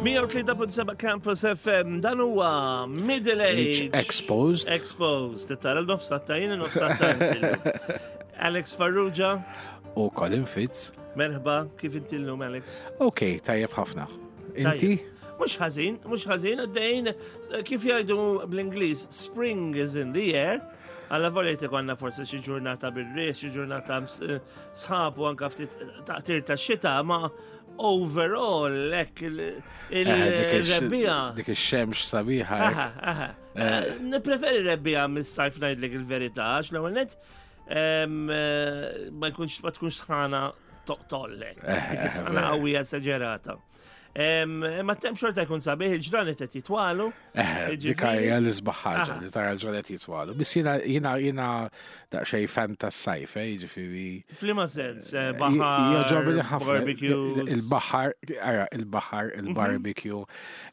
103.7 Campus FM, dan huwa Middle Age. Exposed. Exposed. Tara l-nofsat jien nofsat Alex Farrugia. U Colin Fitz. Merħba, kif inti l-lum, Alex? Ok, tajjeb ħafna. Inti? Mux ħażin, mux ħażin, għaddejn, kif jgħidu bl-Ingliż, spring is in the air. Alla volja konna forsi xi ġurnata bir-riħ, xi ġurnata sħab u anka ftit taqtir ta' xita, ma overall hekk eh, il-rebbija. Dik ix-xemx sabiħa. Eh, Nippreferi rebbija mis-sajf ngħidlek il-verità, għax l-ewwel net eh, ma jkunx ma tkunx sħana toqtollek. Sħana qawwija esaġerata. Ma tem xorta jkun sabiħ il-ġranet qed jitwalu. Eh, dik hija l-isbaħ ħaġa li tara l-ġranet jitwalu. Biss jiena jiena jiena daqsxejn fan tas-sajf, eh, jiġifieri. F'liema sens, eh, baħar. Joġobni ħafna. Il-baħar, ara, il-baħar, mhm. il-barbecue,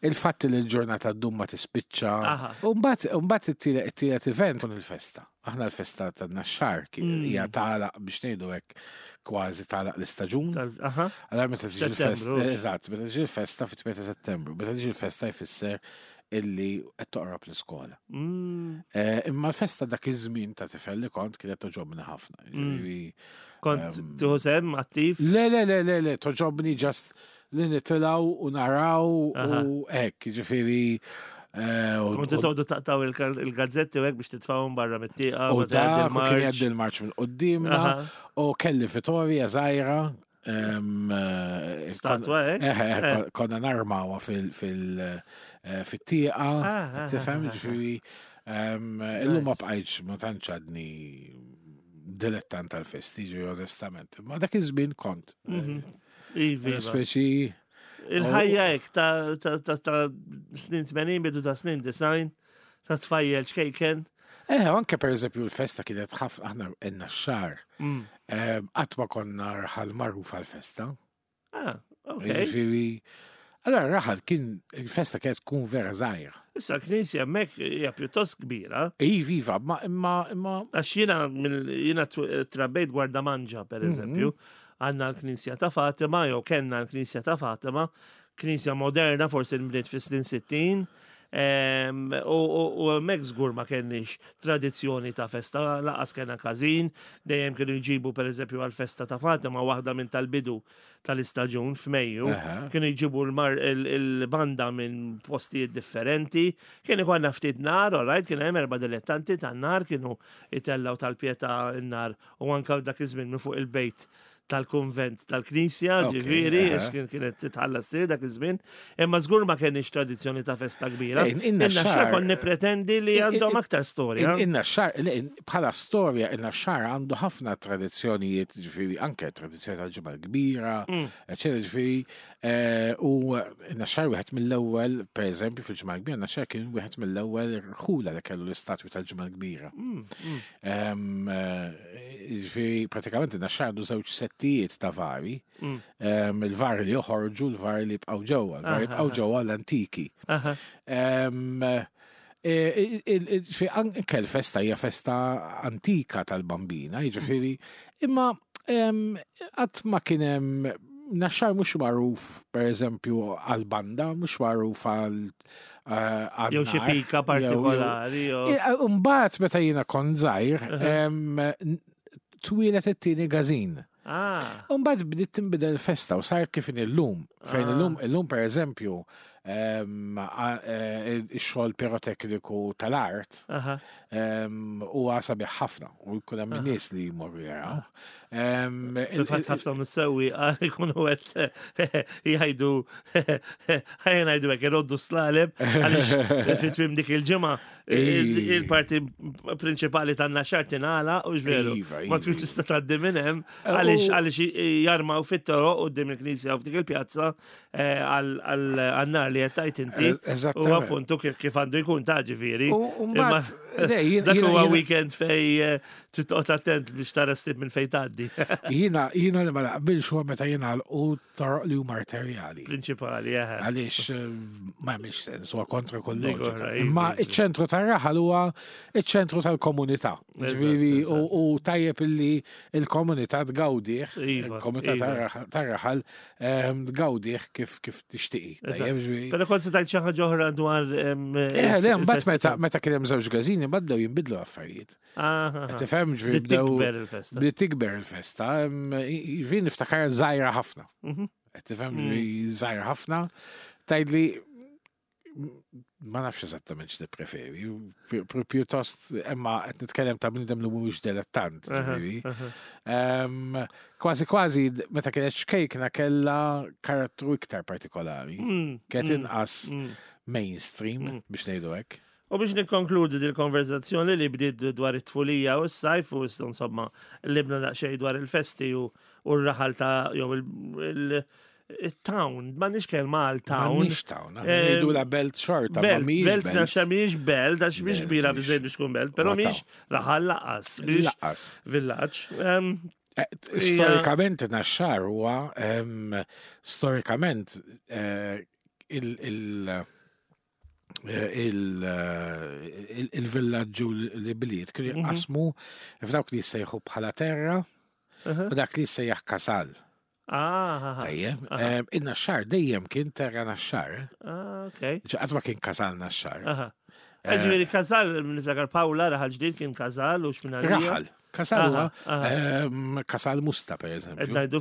il-fatt li l-ġurnata ddum ma tispiċċa. U mbagħad it-tielet event il-festa. Aħna l-festa ta' naxxar mm. hija tagħlaq biex ngħidu hekk kważi tagħlaq l-istaġun. Allora meta tiġi l-festa, eżatt, meta tiġi l-festa fit-8 ta' Settembru, meta tiġi l-festa jfisser illi qed toqrob l-iskola. Mm. Eh, imma l-festa dak iż-żmien ta' tifel li kont kienet toġobni ħafna. Mm. Kont ehm, tieħu sem attiv? Le, le, le, le, le, toġobni ġast li nitilgħu u naraw u hekk, ġifieri. Eh, u titgħodu taqtaw il-gazzetti u hekk biex titfawhom barra mit-tieqa. U da kien jgħaddi l-marċ minn qudiemna u kelli Vittoria żgħira. Eh, Statwa, eh? eh konna narmawa fil-tieqa, ah, tifhem, ġifieri. Illum ma bqajtx ma tantx għadni dilettant tal-festi, ġifieri onestament. Ma dak iż-żmien kont. Mhm. Iva. Speċi. Il-ħajja hekk ta' snin 80 bidu ta' snin design ta' tfajjel ċkejken. Eh, anke per eżempju l-festa kienet ħafna aħna enna x-xar. Mm. Eh, qatt ma konna rħal magħruf għal-festa. Ah, ok. Jiġifieri, allora raħal kien il-festa kienet tkun vera żgħira. Issa l-knisja hemmhekk hija pjuttost kbira. Iva, iva, ma imma imma. Għax jiena jiena trabbejt gwarda manġa per mhm. eżempju, għandna l-knisja ta' Fatima jew kellna l-knisja ta' Fatima, knisja moderna forsi nbniet fis-snin 60, u hemmhekk żgur ma kenniex tradizzjoni ta' festa, laqas kellna każin, dejjem kienu jġibu pereżempju għall-festa ta' Fatima waħda minn tal-bidu tal-istaġun f'Mejju, kienu jġibu l-banda minn postijiet differenti, kien ikollna ftit nar, alright, kien hemm erba' dilettanti tan-nar kienu jtellgħu tal-pietà n-nar u anke dak iż-żmien minn fuq il-bejt tal-kunvent tal-knisja, ġifieri, għax kien kienet titħalla ssir dak iż-żmien, imma żgur ma kenniex tradizzjoni ta' festa kbira. Inna xar kon nippretendi li għandhom aktar storja. Inna xar, bħala storja, inna xar għandu ħafna tradizzjonijiet, ġifieri, anke tradizzjoni tal-ġimgħa kbira, mm. eċetera, ġifieri, eh, u inna xar wieħed mill-ewwel, per eżempju, fil-ġimgħa kbira, inna xar kien wieħed mill-ewwel rħula li kellu l-istatwi tal-ġimgħa kbira. Mm, mm. Eh, ġifieri, pratikament naxxar għandu żewġ settijiet ta' vari. Mm. Il-vari li joħorġu, l-vari li jibqgħu ġewwa, l-vari jibqgħu ġewwa l-antiki. E, anke l-festa hija festa antika tal-bambina, jiġifieri, imma qatt ma kien hemm naxxar mhux magħruf pereżempju għal-banda, mhux magħruf għal Eh, jew xi pika partikolari. Mbagħad meta jiena kont żgħir, twilet it-tieni gażin. Ah. Mbagħad bdiet tinbidel festa u sar kif illum. Fejn ah. illum illum pereżempju eh, ix-xogħol pirotekniku tal-art huwa sabiħ ħafna u jkun hemm nies li jmorru jaraw. Fil-fatt ħafna mis-sewwieqa jkunu qed jgħidu ħajja ngħidu hekk iroddu slaleb għaliex fi tmiem dik il-ġimgħa il-parti prinċipali tan-naxar tingħala u veru. Iva, Ma iva. tkunx tista' tgħaddi minn hemm għaliex għaliex jarmaw fit-toroq quddiem il-knisja u f'dik il-pjazza eh, għal-nar li qed tgħid inti. Eh, U appuntu kif għandu jkun ta' ġifieri. U mbagħad dak huwa weekend fej eh, trid toqgħod attent biex tara stib minn fejn tgħaddi. Jiena jiena li ma naqbilx huwa meta jingħalqu toroq li huma arterjali. Prinċipali, eh. Għaliex ma jagħmilx sens huwa kontra kull loġika. Imma iċ-ċentru tar-raħal huwa iċ-ċentru tal-komunità. Ġifieri u tajjeb illi il-komunità tgawdih, iva, il-komunità iva. tar-raħal ehm, tgawdih kif kif tixtieqi. Però kont se tgħid xi ħaġa oħra dwar. Ehm, eh, le, mbagħad meta kien hemm żewġ gażini mbagħad bdew jinbidlu affarijiet. Tifhem ġifieri bdew. Bdiet tikber il-festa. Ġifieri niftakar żgħira ħafna. Mhm. Tifhem mm. ġifieri żgħira ħafna. Tgħidli ma nafx eżattament x'nippreferi, pjuttost imma qed nitkellem ta' bniedem li mhuwiex dilettant, ġifieri. Kważi kważi meta kienet xkejkna kellha karattru iktar partikolari, mm, kienet mm, inqas mm. mainstream biex ngħidu hekk. U biex nikkonkludi dil-konverzazzjoni li bdiet dwar it-tfulija u s-sajf u insomma libna daqsxejn dwar il-festi u r-raħal ta' jew il-town, ma nix kelma għal town. Ma nix town, ngħidu la belt xorta, ma mhijiex belt. Belt mhijiex belt, għax mhix kbira biżejjed biex tkun belt, però mhijiex raħal laqas. Laqas. Villaġġ. Eh, storikament naxxar huwa storikament eh, il- il-villaġġu li bliet kienu mhm. jqasmu f'dawk li jissejħu bħala terra u dak li jissejjaħ kasal. Ah, Tajjeb, in-naxxar dejjem kien terra naxxar. Ah, ok. Qatt ma kien kasal naxxar. Eh, ġifieri kasal, niftakar Pawla raħal ġdid kien kasal u x'minn Raħal. Kasal huwa kasal musta per eżempju. Qed ngħidu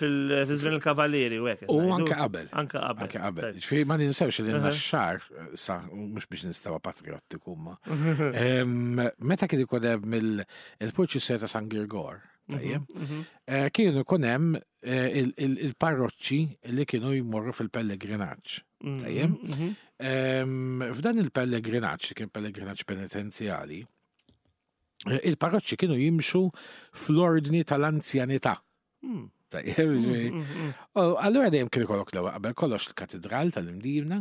fil-żmien il-Kavalieri u hekk. U anke qabel. Anke qabel. Anke qabel. Ġifieri ma ninsewx li naxxar sa mhux biex nistawa patriottiku ma. Meta kien ikun hemm il-purċissjoni ta' San Girgor, tajjeb, mhm, mhm. eh, kienu ikun hemm eh, il-parroċċi li kienu jmorru fil-pellegrinaġġ. Mhm, tajjeb. F'dan il-pellegrinaġġ, li kien pellegrinaġġ penitenzjali, il-parroċċi kienu jimxu fl-ordni tal-anzjanità. Hmm. Hmm, hmm, allura dejjem kien ikollok l-ewwel qabel kollox il-katedral tal-Imdina,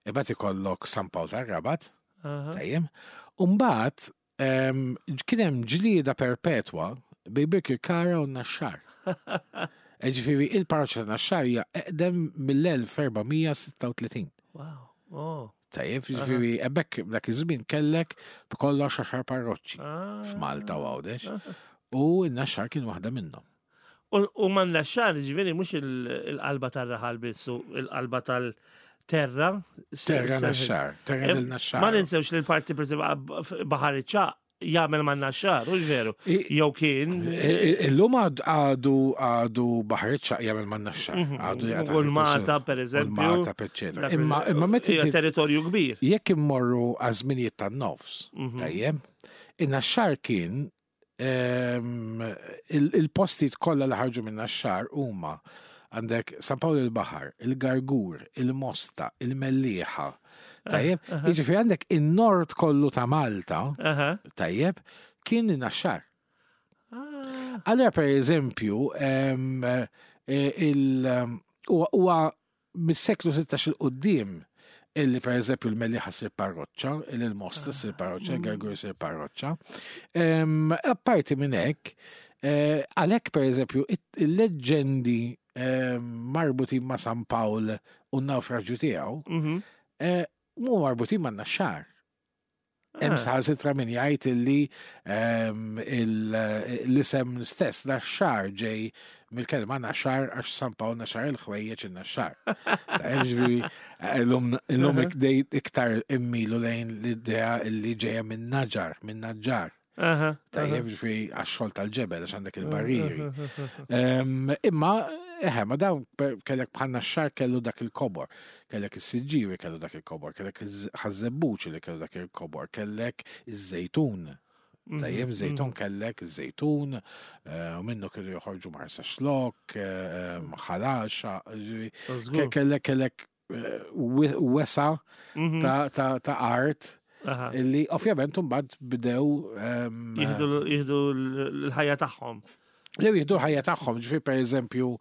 imbagħad ikollok San Pawl tar-Rabat, tajjeb. U mbagħad ehm, kien hemm ġlieda perpetwa bejn Birkirkara u Naxxar. E ġifieri il-parroċċa ta' Naxxar hija eqdem mill-1436. Wow. Oh. Tajjeb, ġifieri hemmhekk dak iż-żmien kellek b'kollox għaxar parroċċi ah. f'Malta u Għawdex. U n-Naxxar kien waħda minnhom. U man naxxar ġifieri mhux il-qalba tar-raħal biss u il-qalba tal-terra. Terra naxxar, terra del naxxar. Ma ninsewx li l-parti per Baħar iċ-Ċagħaq jagħmel ma' naxxar, u veru. Jew kien. Illum għadu għadu Baħar iċ-Ċagħaq jagħmel ma' naxxar. Mhm. Għadu jgħid. U l-Mata, per eżempju. Malta, eċetera. Imma imma meta territorju kbir. Jekk immorru għaż-żminijiet tan-nofs, mhm. tajjeb, in-naxxar kien ehm, il-postijiet kollha li ħarġu minn naxxar huma għandek San Pawl il-Baħar, il-Gargur, il-Mosta, il-Mellieħa. Tajjeb, jiġifieri għandek in-nord kollu ta' Malta, tajjeb, kien in-naxxar. Ah. Allura per eżempju, eh, huwa mis-seklu 16 il-qoddim illi per eżempju l-Mellieħa sir parroċċa, illi l-Mosta sir parroċċa, il-Gargur sir parroċċa. Apparti minn hekk, eh, għalhekk per eżempju il-leġġendi marbutin ma' San Pawl u n-nawfraġġju tiegħu, mhm. eh, mu marbutin ma' Naxxar. Hemm ah. saħansitra min jgħid illi ehm, l-isem stess naxxar ġej mill-kelma naxar għax San Pawl naxar il-ħwejjeġ in-naxxar. Ġifieri illum iktar immilu lejn l-idea illi ġejja minn naġar, minn naġġar. Tajjeb ġifieri għax-xogħol tal-ġebel għax għandek il-barrieri. Imma eħe, ma dawn kellek bħal naxxar kellu dak il-kobor, kellek is-siġġiwi kellu dak il-kobor, kellek il-ħażebbuċ li kellu dak il-kobor, kellek iż-żejtun. Mhm, Tajjeb, żejtun mhm. kellek iż-żejtun, eh, u minnu kienu joħorġu marsa xlok, eh, ħalaxa, kellek kellek eh, wesa mhm. ta' art illi ovvjament mbagħad bdew ehm, jieħdu l-ħajja tagħhom. Jew jieħdu l-ħajja tagħhom, ġifier pereżempju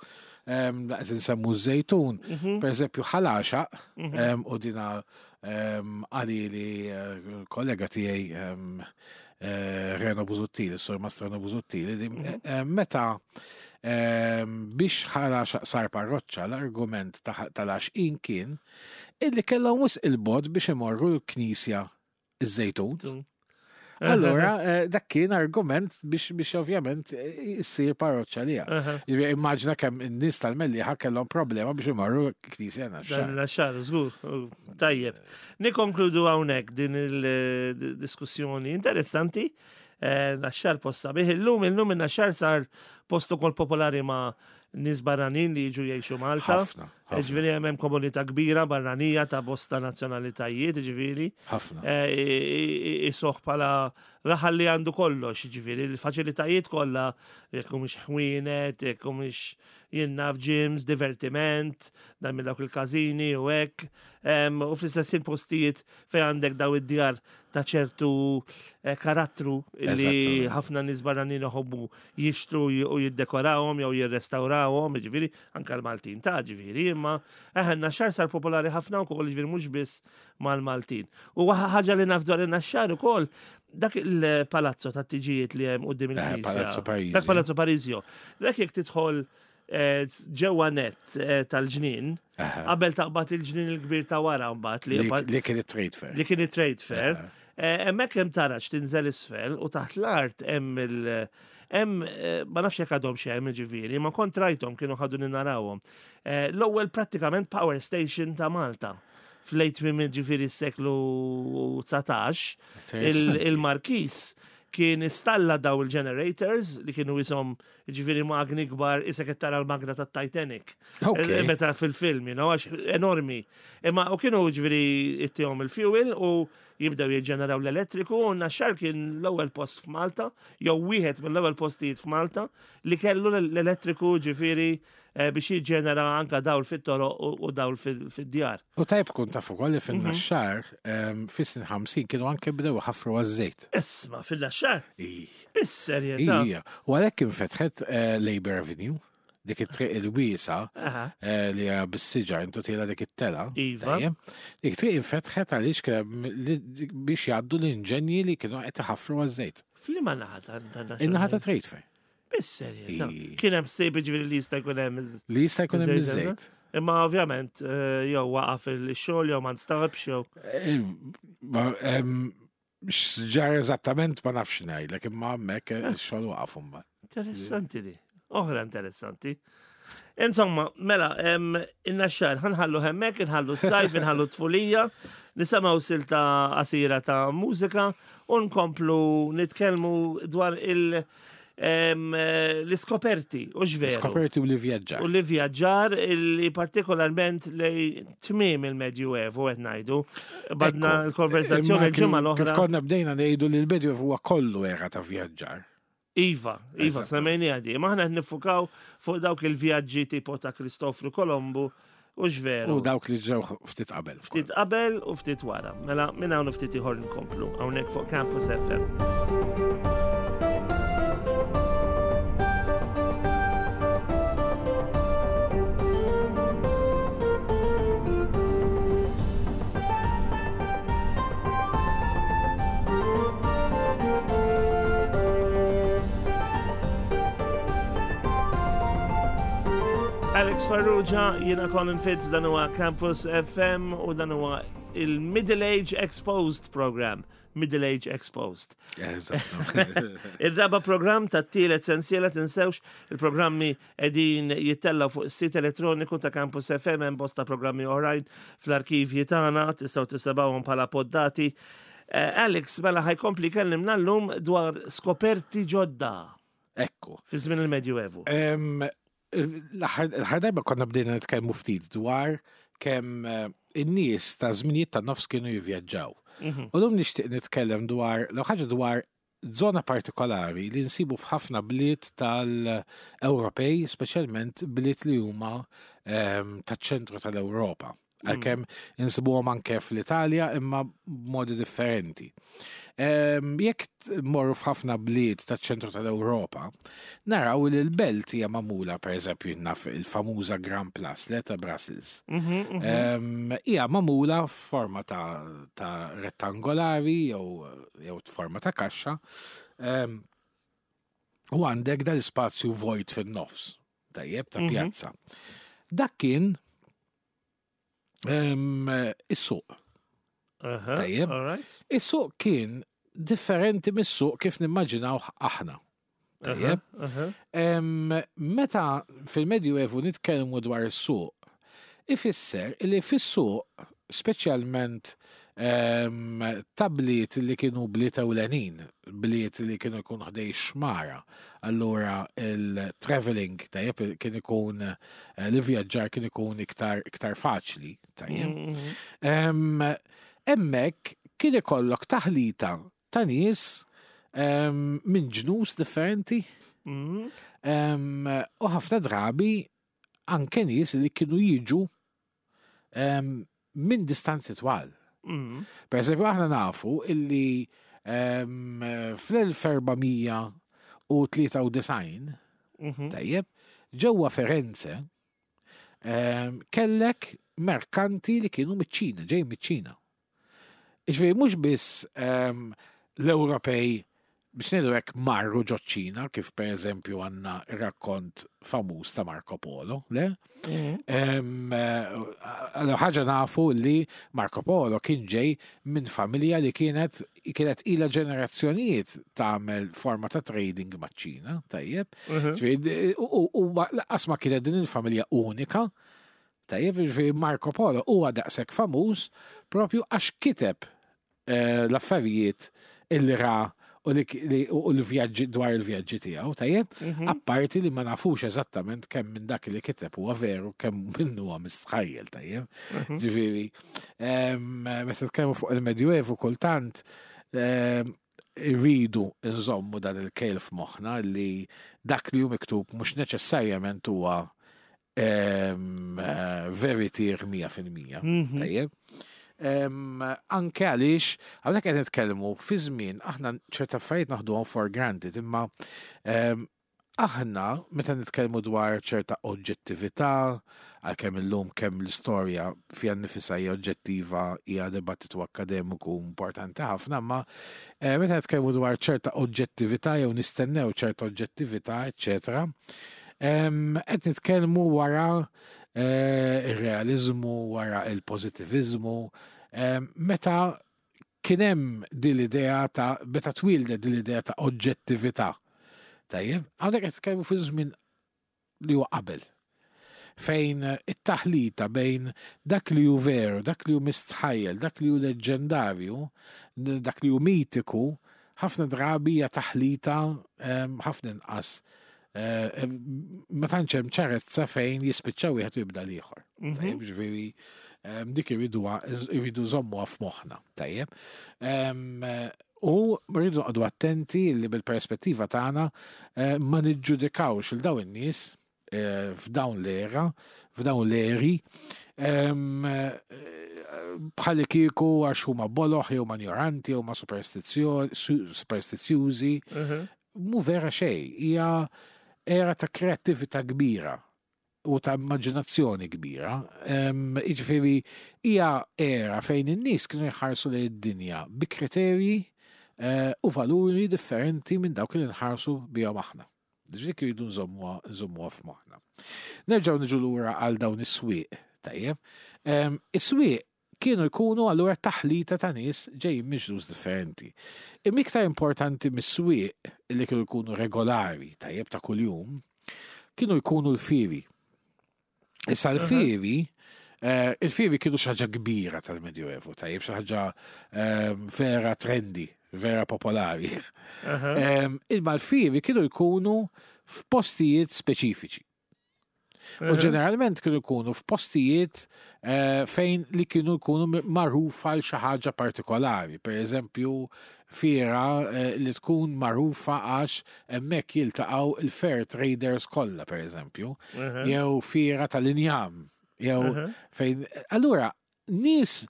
ehm, laqt insemmu ż-żejtun, mhm. pereżempju ħalaxa mhm. ehm, u dina għalili eh, kollega tiegħi eh, Reno Buzuttili, Sur Mastrano Buzuttili, li meta biex ħala sar parroċċa l-argument tal-għaxqin kien illi kellhom wisq il-bod biex imorru l-knisja iż-żejtun. Allura, eh, dak kien argument biex biex ovvjament eh, issir parroċċa liha. Jiġifieri Immaġina kemm in-nies tal-Mellieħa kellhom problema biex imorru knisja Naxxar. Dan Naxxar, żgur. Tajjeb. Nikkonkludu hawnhekk din il-diskussjoni interessanti. Eh, Naxxar post sabiħ illum, illum in-Naxxar sar post ukoll popolari ma' nies barranin li jiġu jgħixu Malta. Ħafna. Ġifieri hemm komunità kbira barranija ta' bosta nazzjonalitajiet, ġifieri. Ħafna. Eh, Isoħ bħala raħal li għandu kollox, ġifieri l-faċilitajiet kollha, jekk mhux ħwienet, jekk mhux jinnaf gyms, divertiment, dan minn dawk il-każini u hekk. U fl-istess postijiet fejn għandek daw id-djar ta' ċertu eh, karattru li ħafna nies barranin iħobbu jixtru u jiddekorawhom jew jirrestawrawhom, ġifieri anka l-Maltin ta' ġifieri, imma eħe n-naxxar sar popolari ħafna wkoll ġifieri mhux biss mal-Maltin. U ħaġa li naf dwar in-naxxar ukoll dak il-palazzo ta' tiġijiet li hemm quddiem eh, il-Knisja. Palazzo Parisio. Dak Palazzo Parisio. Dak jekk tidħol eh, ġewwa net eh, tal-ġnien, qabel taqbad il-ġnien il-kbir ta' wara mbagħad li li kien it-trade fair. Li kien it-trade fair. Hemmhekk hemm taraġ tinżel isfel u taħt l-art hemm il- Hemm eh, ma nafx jekk għadhom xi hemm ġifieri, ma kont rajthom kienu ħadu narawhom. Eh, l-ewwel prattikament power station ta' Malta fl-late minn ġifieri s-seklu 19, il-Markis kien installa daw il-generators li kienu jisom ġifiri magni kbar isa qed tara l-magna ta' Titanic. Eh, meta fil-film, you know, għax enormi. Imma u kienu ġifiri ittihom il-fuel u jibdew jiġġeneraw l-elettriku u Naxxar kien l-ewwel post f'Malta, jew wieħed mill-ewwel postijiet f'Malta li kellu l-elettriku ġifieri eh, biex jiġġenera anka dawl fit-toroq u dawl fid-djar. U tajb kun taf ukoll li fin-Naxxar mhm. ehm, fis-snin 50 kienu anke bdew ħafru għaż-żejt. Isma' fil-Naxxar? Bis-serjetà. U għalhekk infetħet eh, Labour Avenue dik it-triq il-wiesa eh, li hija bis-siġar intu tiela dik it-tela. Iva. Dik triq infetħet għaliex biex jgħaddu l-inġenji li kienu qed iħaffru għaż-żejt. F'liema naħa ta' In-naħa ta' Trade Fair. Bis-serjetà. Kien hemm ħsieb ġifieri li jista' jkun hemm Li jista' jkun hemm iż-żejt. Imma ovvjament eh, jew waqaf il-xogħol jew ma nstabx jew. Eh, X'ġar eżattament ma nafx ngħidlek imma hemmhekk eh, ix-xogħol waqaf imbagħad. Interessanti di. Oħra interessanti. Insomma, mela, inna xar, ħanħallu hemmek, nħallu s-sajf, nħallu tfulija, nisamaw silta qasira ta' mużika u nkomplu nitkellmu dwar il- l-iskoperti, u xveru. Skoperti u li vjaġġar. U li vjaġġar li partikolarment li tmiem il-Medju Evu qed ngħidu. Badna l-konversazzjoni l-ġimgħa l-oħra. Kif konna bdejna ngħidu li l-Medju Evu huwa kollu era ta' vjaġġar. Iva, iva, semmejni għadi. Maħna nifukaw fuq dawk il-vjaġġi tipo ta' Kristofru Kolombu U x'veru. U dawk li ġew ftit qabel. Ftit qabel u ftit wara. Mela minn hawn ftit ieħor nkomplu hawnhekk fuq Campus FM. Alex Farrugia, jiena Colin Fitz, dan huwa Campus FM u dan huwa il-Middle Age Exposed program. Middle Age Exposed. Il-raba program ta' tielet sensiela tinsewx il-programmi edin jittellaw fuq is-sit elettroniku ta' Campus FM hemm bosta programmi oħrajn fl-arkivji tagħna tistgħu tisebgħuhom bħala poddati. Eh, Alex mela ħajkompli kellimna llum dwar skoperti ġodda. Ekku. Fi żmien il-Medjuevu. L-aħħar darba konna bdejna nitkellmu ftit dwar kemm eh, in-nies ta' żminijiet ta' nofs kienu jivvjaġġaw. Mhm. U lum nixtieq nitkellem dwar l ħaġa dwar zona partikolari li nsibu f'ħafna bliet tal-Ewropej, speċjalment bliet li huma ehm, taċ-ċentru tal-Ewropa. Mm. Għalkemm insibuhom anke fl-Italja imma b'modi differenti. Ehm, jekk morru f'ħafna bliet taċ-ċentru tal-Ewropa, naraw li l-belt hija magħmula pereżempju naf il-famuża Grand Place le ta' Brussels. Mhm, mhm. Ehm, hija magħmula f'forma ta', ta rettangolari jew jew forma ta' kaxxa. Ehm, u għandek dal-ispazju vojt fin-nofs, tajjeb ta' mhm. pjazza. Dak kien is-suq. Tajjeb. Is-suq kien differenti mis-suq kif nimmaġinawh aħna. Tajjeb. Meta fil-Medjuevu nitkellmu dwar is-suq, ifisser li fis-suq, speċjalment ta' bliet li kienu bliet ewlenin, bliet li kienu jkun ħdej xmara, allura il-traveling tajjeb kien ikun eh, l-vjaġġar kien ikun iktar iktar faċli, tajjeb. Mm-hmm. Hemmhekk kien ikollok taħlita ta' nies minn ġnus differenti. Mm. U ħafna drabi anke nies li kienu jiġu minn distanzi twal. Mm. Per eżempju, aħna nafu illi fl-1493, mhm. tajjeb, ġewwa Firenze, kellek merkanti li kienu miċ-Ċina, ġej miċ-Ċina. Iġifieri mhux biss ehm, l-Ewropej biex ngħidu hekk marru ġoċ-Ċina, kif pereżempju għandna rakkont famuż ta' Marco Polo, le? Mhm. Ehm, eh, ħaġa nafu li Marco Polo kien ġej minn familja li kienet kienet ila ġenerazzjonijiet tagħmel forma ta' trading maċ-Ċina, tajjeb. Mhm. U laqqas ma kienet din il-familja unika, Tajjeb, jiġifieri Marco Polo huwa daqshekk famuż propju għax kiteb eh, l-affarijiet illi ra u l-vjaġġi dwar il-vjaġġi tiegħu, tajjeb? Mhm. Apparti li ma nafux eżattament kemm minn dak li kiteb huwa veru, kemm minnu huwa mistħajjel, tajjeb? Mhm. Ġifieri, meta tkellmu fuq il-Medjuevu kultant irridu nżommu dan il-kejl f'moħħna li dak li hu miktub mhux neċessarjament huwa eh, veritier 100%. Mhm. Tajjeb. Anke għaliex, hawnhekk qed nitkellmu fi żmien aħna ċerta affarijiet naħduhom for granted, imma aħna meta nitkellmu dwar ċerta oġġettività, għalkemm illum kemm l-istorja fiha nnifisha hija oġġettiva hija dibattitu akkademiku importanti ħafna, imma eh, meta nitkellmu dwar ċerta oġġettività jew nistennew ċerta oġġettività, eċċetera, Qed nitkellmu wara eh, ir-realiżmu, wara il-pożittiviżmu, meta kien hemm din l-idea ta' meta twildet din l-idea ta' oġġettività. Tajjeb, hawnhekk qed nitkellmu fi żmien li huwa qabel fejn it-taħlita bejn dak li hu veru, dak li hu mistħajjel, dak li hu leġġendarju, dak li hu mitiku, ħafna drabi hija taħlita ħafna inqas. Eh, ma tantx hemm ċarezza fejn jispiċċa wieħed u jibda l-ieħor. Mhm. Tajjeb, ġifieri dik irridu irridu żommuha f'moħħna, tajjeb. U rridu noqogħdu attenti li bil-perspettiva tagħna eh, ma niġġudikawx il dawn in-nies eh, f'dawn l-era, f'dawn l-eri, eh, bħalli kieku għax huma boloħ jew manjoranti jew ma superstizzjużi. Mhm. Mu vera xej, hija era ta' kreattività kbira u ta' immaġinazzjoni kbira. Jiġifieri hija era fejn in-nies kienu jħarsu lejn id-dinja bi kriterji eh, u valuri differenti minn dawk li nħarsu bihom aħna. Dik irridu nżommuha f'moħħna. Nerġgħu niġu lura għal dawn is-swieq, tajjeb. Is-swieq kienu jkunu allura taħlita ta' nies ġejjin minn ġnus differenti. Imma iktar importanti mis-swieq li kienu jkunu regolari, tajjeb ta' kuljum, kienu jkunu l-fieri. Issa l-fieri, eh, il-fieri kienu xi ħaġa kbira tal-Medjuevu, tajjeb xi ħaġa ehm, vera trendy, vera popolari. Ehm, imma l-fieri kienu jkunu f'postijiet speċifiċi. U ġeneralment kienu jkunu f'postijiet eh, fejn li kienu jkunu magħrufa għal xi ħaġa partikolari. Per eżempju, fiera eh, li tkun magħrufa għax hemmhekk jiltaqgħu il-fair traders kollha pereżempju, jew fiera tal-injam, jew fejn. Allura, nies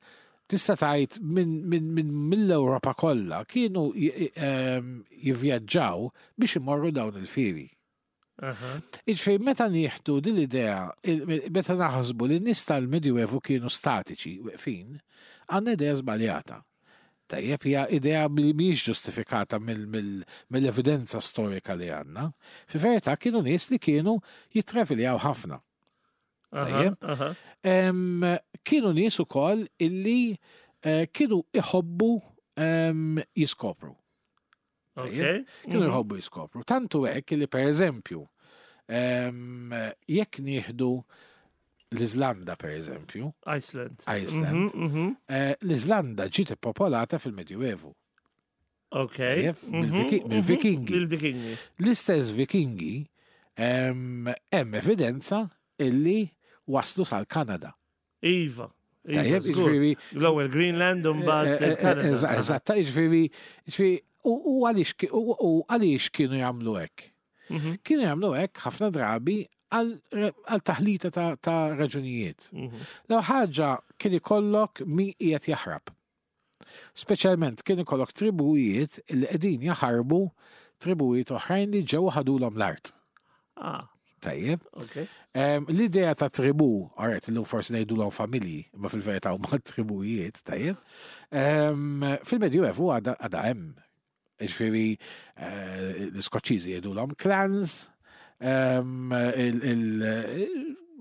tista' tgħid mill-Ewropa kollha kienu ehm, jivvjaġġaw biex imorru dawn il-fieri. Iġifieri meta nieħdu din l-idea, meta naħsbu li n-nies tal-Medjuevu kienu statiċi, weqfin, għandna idea żbaljata. Tajjeb, hija idea li mhijiex ġustifikata mill-evidenza storika li għandna. Fil-verità kienu nies li kienu jittraviljaw ħafna. Tajjeb. Kienu nies ukoll illi eh, kienu iħobbu jiskopru. Kienu jħobbu jiskopru. Tantu hekk li per eżempju, jekk nieħdu l-Iżlanda per eżempju. Iceland. Iceland. L-Iżlanda ġiet ippopolata fil-Medjuevu. Ok. Bil-Vikingi. Bil-Vikingi. L-istess Vikingi hemm evidenza illi waslu sal-Kanada. Iva. Tajjeb, ġifieri. L-ewwel Greenland u mbagħad eh, eh, eh, Eżatt, ġifieri, ġifieri u għaliex kienu jagħmlu hekk? Kienu jagħmlu hekk ħafna drabi għal taħlita ta' raġunijiet. L ħaġa kien ikollok min qiegħed jaħrab. Speċjalment kien ikollok tribujiet li qegħdin jaħarbu tribujiet oħrajn li ġew ħadulhom l-art. Ah. Tajjeb. Okay. L-idea ta' tribu, għaret, l-lum forsi ngħidulhom familji, ma fil-verità huma tribujiet, tajjeb. Fil-Medjuevu għadha hemm. Ġifieri eh, l-Iskoċċiżi jgħidulhom clans,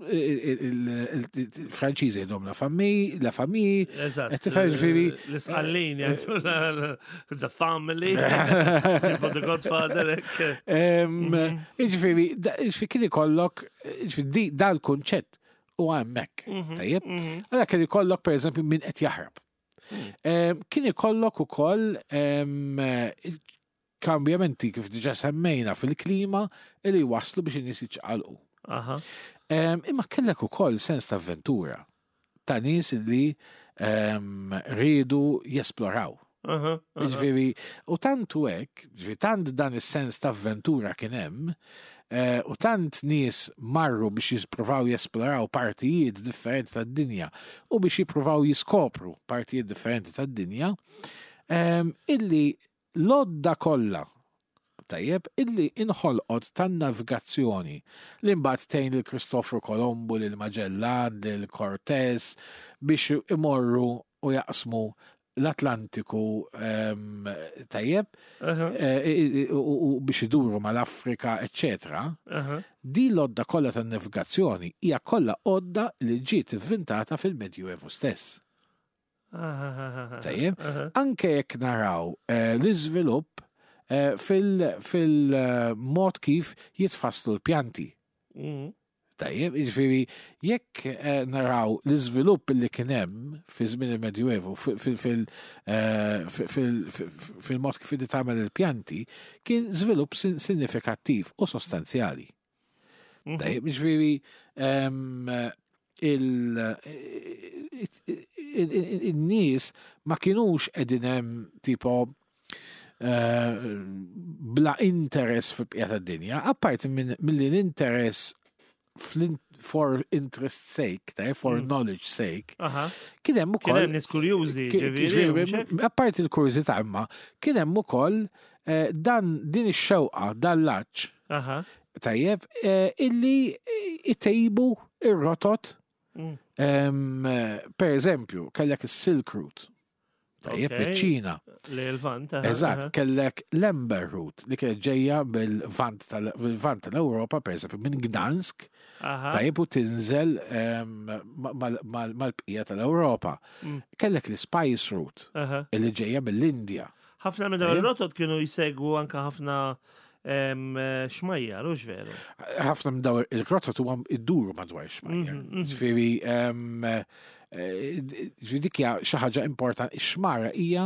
il-Franċiżi jgħidhom la famille, la famille. Eżatt. Tifhem ġifieri. L-Isqallin jgħidu the family, tipo the Godfather. Ġifieri, ġifieri kien ikollok, ġifieri dal-kunċett u hemmhekk. Tajjeb? Għalhekk kien ikollok pereżempju min qed jaħrab. Kien ikollok ukoll kambjamenti kif diġa semmejna fil-klima li waslu biex in-nies jiċċaqalqu. Imma kellek ukoll sens ta' avventura ta' nies li riedu jesploraw. Ġifieri, u tant u hekk, ġifieri tant dan is-sens ta' avventura kien hemm, eh, u tant nies marru biex jippruvaw jesploraw partijiet differenti tad-dinja u biex jippruvaw jiskopru partijiet differenti tad-dinja, illi l-għodda kollha tajjeb illi inħolqot tan-navigazzjoni li mbagħad tgħin lil Kristofru Kolombu, lil Magellan, lil Cortez biex imorru u jaqsmu l-Atlantiku tajjeb eh, u biex iduru mal-Afrika, eccetera. Di l-għodda kollha tan-navigazzjoni hija kollha għodda li ġiet ivvintata fil-Medjuevu stess. Tajjeb, anke jekk naraw eh, l-iżvilupp eh, fil-mod kif jitfasslu l-pjanti. Tajjeb, jiġifieri jekk eh, naraw l-iżvilupp li kien hemm fi żmien il-Medjuevu fil-mod kif inti tagħmel il-pjanti, kien żvilupp sinifikattiv u sostanzjali. Tajjeb, jiġifieri il-nies ma kienux qegħdin hemm tipo eh, bla interess fil-bqija tad-dinja, apparti milli l-interess for interest sake, ta' for knowledge sake, kien hemm ukoll. Kien hemm nies kurjużi, ġifieri. Apparti l-kurżità imma, kien hemm ukoll eh, dan din ix-xewqa, dan l-aċ. Tajjeb, eh, illi itejbu ir-rotot. Per eżempju, kellek is-Silk Route. Tajjeb, miċ-Ċina. Li l-Vant. Eżatt, kellek l-Amber Route li kienet ġejja mill-Vant tal-Ewropa, per eżempju, minn Gdansk. Tajjeb u tinżel mal-bqija tal-Ewropa. Kellek l-Spice Route li ġejja mill-Indja. Ħafna minn dawn ir-rotot kienu jsegwu anke ħafna xmajjar, hux veru? Ħafna minn dawn il-rotot huwa jduru madwar xmajjar. Ġifieri eh, ġifieri dik hija xi ħaġa importanti, ix-xmara hija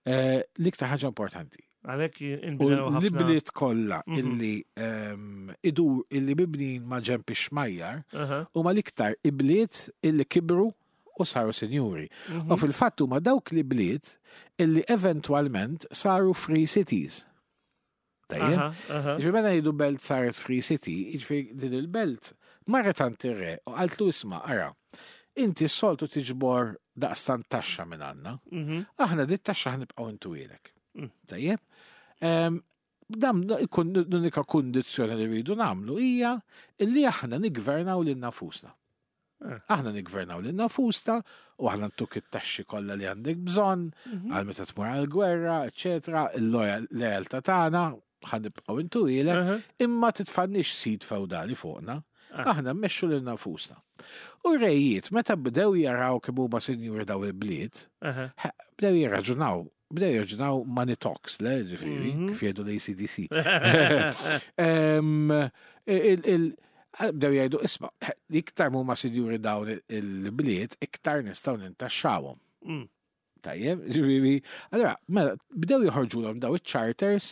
eh, l-iktar ħaġa importanti. Għalhekk U l-ibliet kollha illi idur illi mibnin ma' ġenb ix-xmajjar huma l-iktar ibliet illi kibru u saru sinjuri. U fil-fatt huma dawk l-ibliet illi eventwalment saru free cities. Tajjeb? Ġifieri meta ngħidu belt saret free city, jiġifieri din il-belt marret għand ir-re u qaltlu isma' ara, inti s-soltu tiġbor daqstant taxxa minn għandna. Aħna dit taxxa ħnibqgħu intuwielek. Tajjeb? Dan l-unika kundizzjoni li rridu nagħmlu hija li aħna niggvernaw lil nafusna. Aħna niggvernaw lil nafusna u aħna ntuk it-taxxi kollha li għandek bżonn għal meta tmur għall-gwerra, eċetera, il-lealtà tagħna ħa nibqgħu intuwielek, imma titfannix sid fewdali fuqna. Aħna mmexxu lil nafusna. U r-rejiet meta bdew jaraw kemm huma sinjuri daw il-bliet, bdew jirraġunaw. Bdew jorġinaw money talks, le, ġifieri, kif jgħidu l-ACDC. Bdew jgħidu, isma', iktar mhuma sinjuri dawn il-bliet, iktar nistgħu nintaxxawhom. Tajjeb, ġifieri, allora, mela, bdew joħorġulhom daw iċ-charters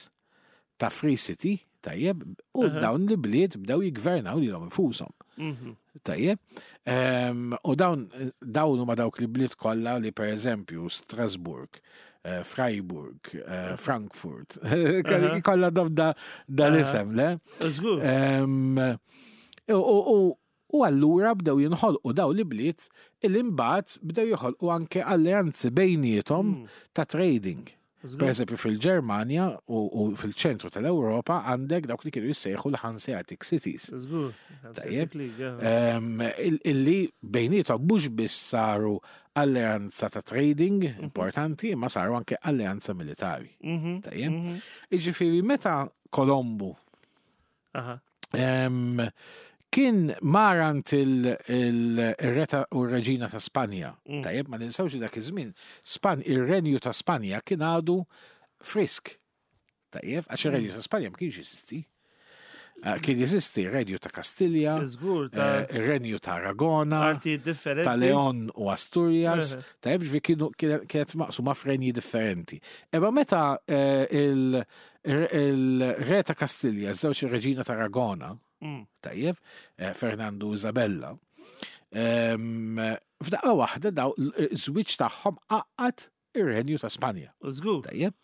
ta' Free City, tajjeb, u dawn li bliet bdew jiggvernaw lilhom infushom. Tajjeb, u dawn dawn huma dawk li bliet kollha li pereżempju Strasburg, Freiburg, Frankfurt, kollha da l-isem, le? Żgur. U allura bdew jinħolqu daw li bliet illi mbagħad bdew joħolqu anke alleanzi bejniethom ta' trading. Per eżempju fil-Ġermanja u fil-ċentru tal-Ewropa għandek dawk li kienu jissejħu l-Hanseatic Cities. Tajjeb. Illi bejniethom mhux biss saru alleanza ta' trading importanti, imma saru anke alleanza militari. Tajjeb. Jiġifieri meta Kolombu kien marant il-re u r-reġina ta' Spanja. Tajjeb, ma ninsewx li dak iż-żmien ir-renju ta' Spanja kien għadu frisk. Tajjeb, għax ir-renju ta' Spanja ma kienx jeżisti. Kien jeżisti r-renju ta' Kastilja, ir-renju ta' Aragona, ta' Leon u Asturias, tajjeb, ġifieri kienu kienet maqsuma f'renji differenti. Imma meta il-re ta' Kastilja, żewġ ir-reġina ta' Aragona, tajjeb, Fernando u Isabella, f'daqqa waħda daw żwieġ tagħhom għaqqad ir-renju ta' Spanja. Żgur. Tajjeb.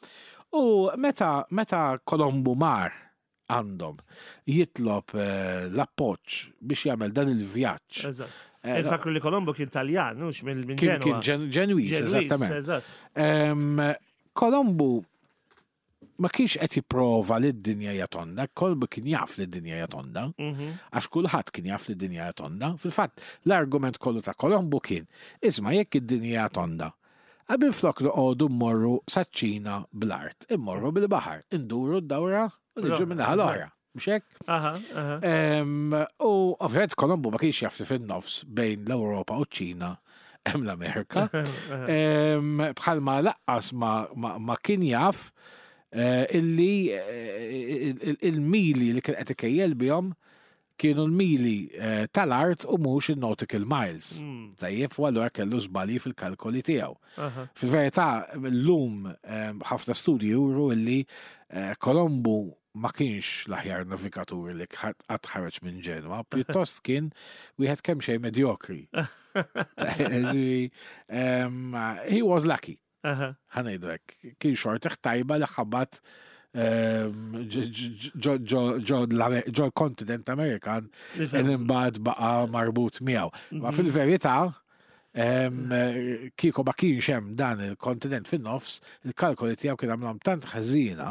U meta Kolombu mar għandhom jitlob l-appoġġ biex jagħmel dan il-vjaġġ. Eżatt. Infakru li Kolombo kien Taljan, mhux minn Kien Ġenwa. kien Ġenwiż, Ġenwiż, eżattament. eżatt. Kolombu ma kienx qed jipprova li d-dinja hija tonda, Kolombu kien jaf li d-dinja hija tonda, għax kulħadd kien jaf li d-dinja hija tonda. Fil-fatt, l-argument kollu ta' Kolombu kien, isma' jekk id-dinja hija tonda, qabel flok noqogħdu mmorru saċ-Ċina bl-art, immorru bil-baħar, induru d-dawra u niġu minnaħa l-oħra. Mhux hekk? U ovvjament Kolombu ma kienx jaf li fin-nofs bejn l-Ewropa u ċ-Ċina hemm l-Amerika. Bħalma laqqas ma kien jaf illi il-mili li kien qed ikejjel bihom kienu l-mili tal-art u mhux il-nautical miles. Tajjeb, u allura kellu żbalji fil-kalkoli tiegħu. Fil-verità, llum ħafna studji juru illi Kolombu ma kienx l-aħjar navigatur li qatt ħareġ minn Ġenwa, pjuttost kien wieħed kemm xejn medjokri. He was lucky. Ħa ngħidu hekk, kien xortih tajba li ħabat ġo l-kontinent Amerikan imbagħad baqa' marbut miegħu. Ma fil-verità, kieku ma kienx hemm dan il-kontinent fin-nofs, il-kalkoli tiegħu kien għamlhom tant ħażina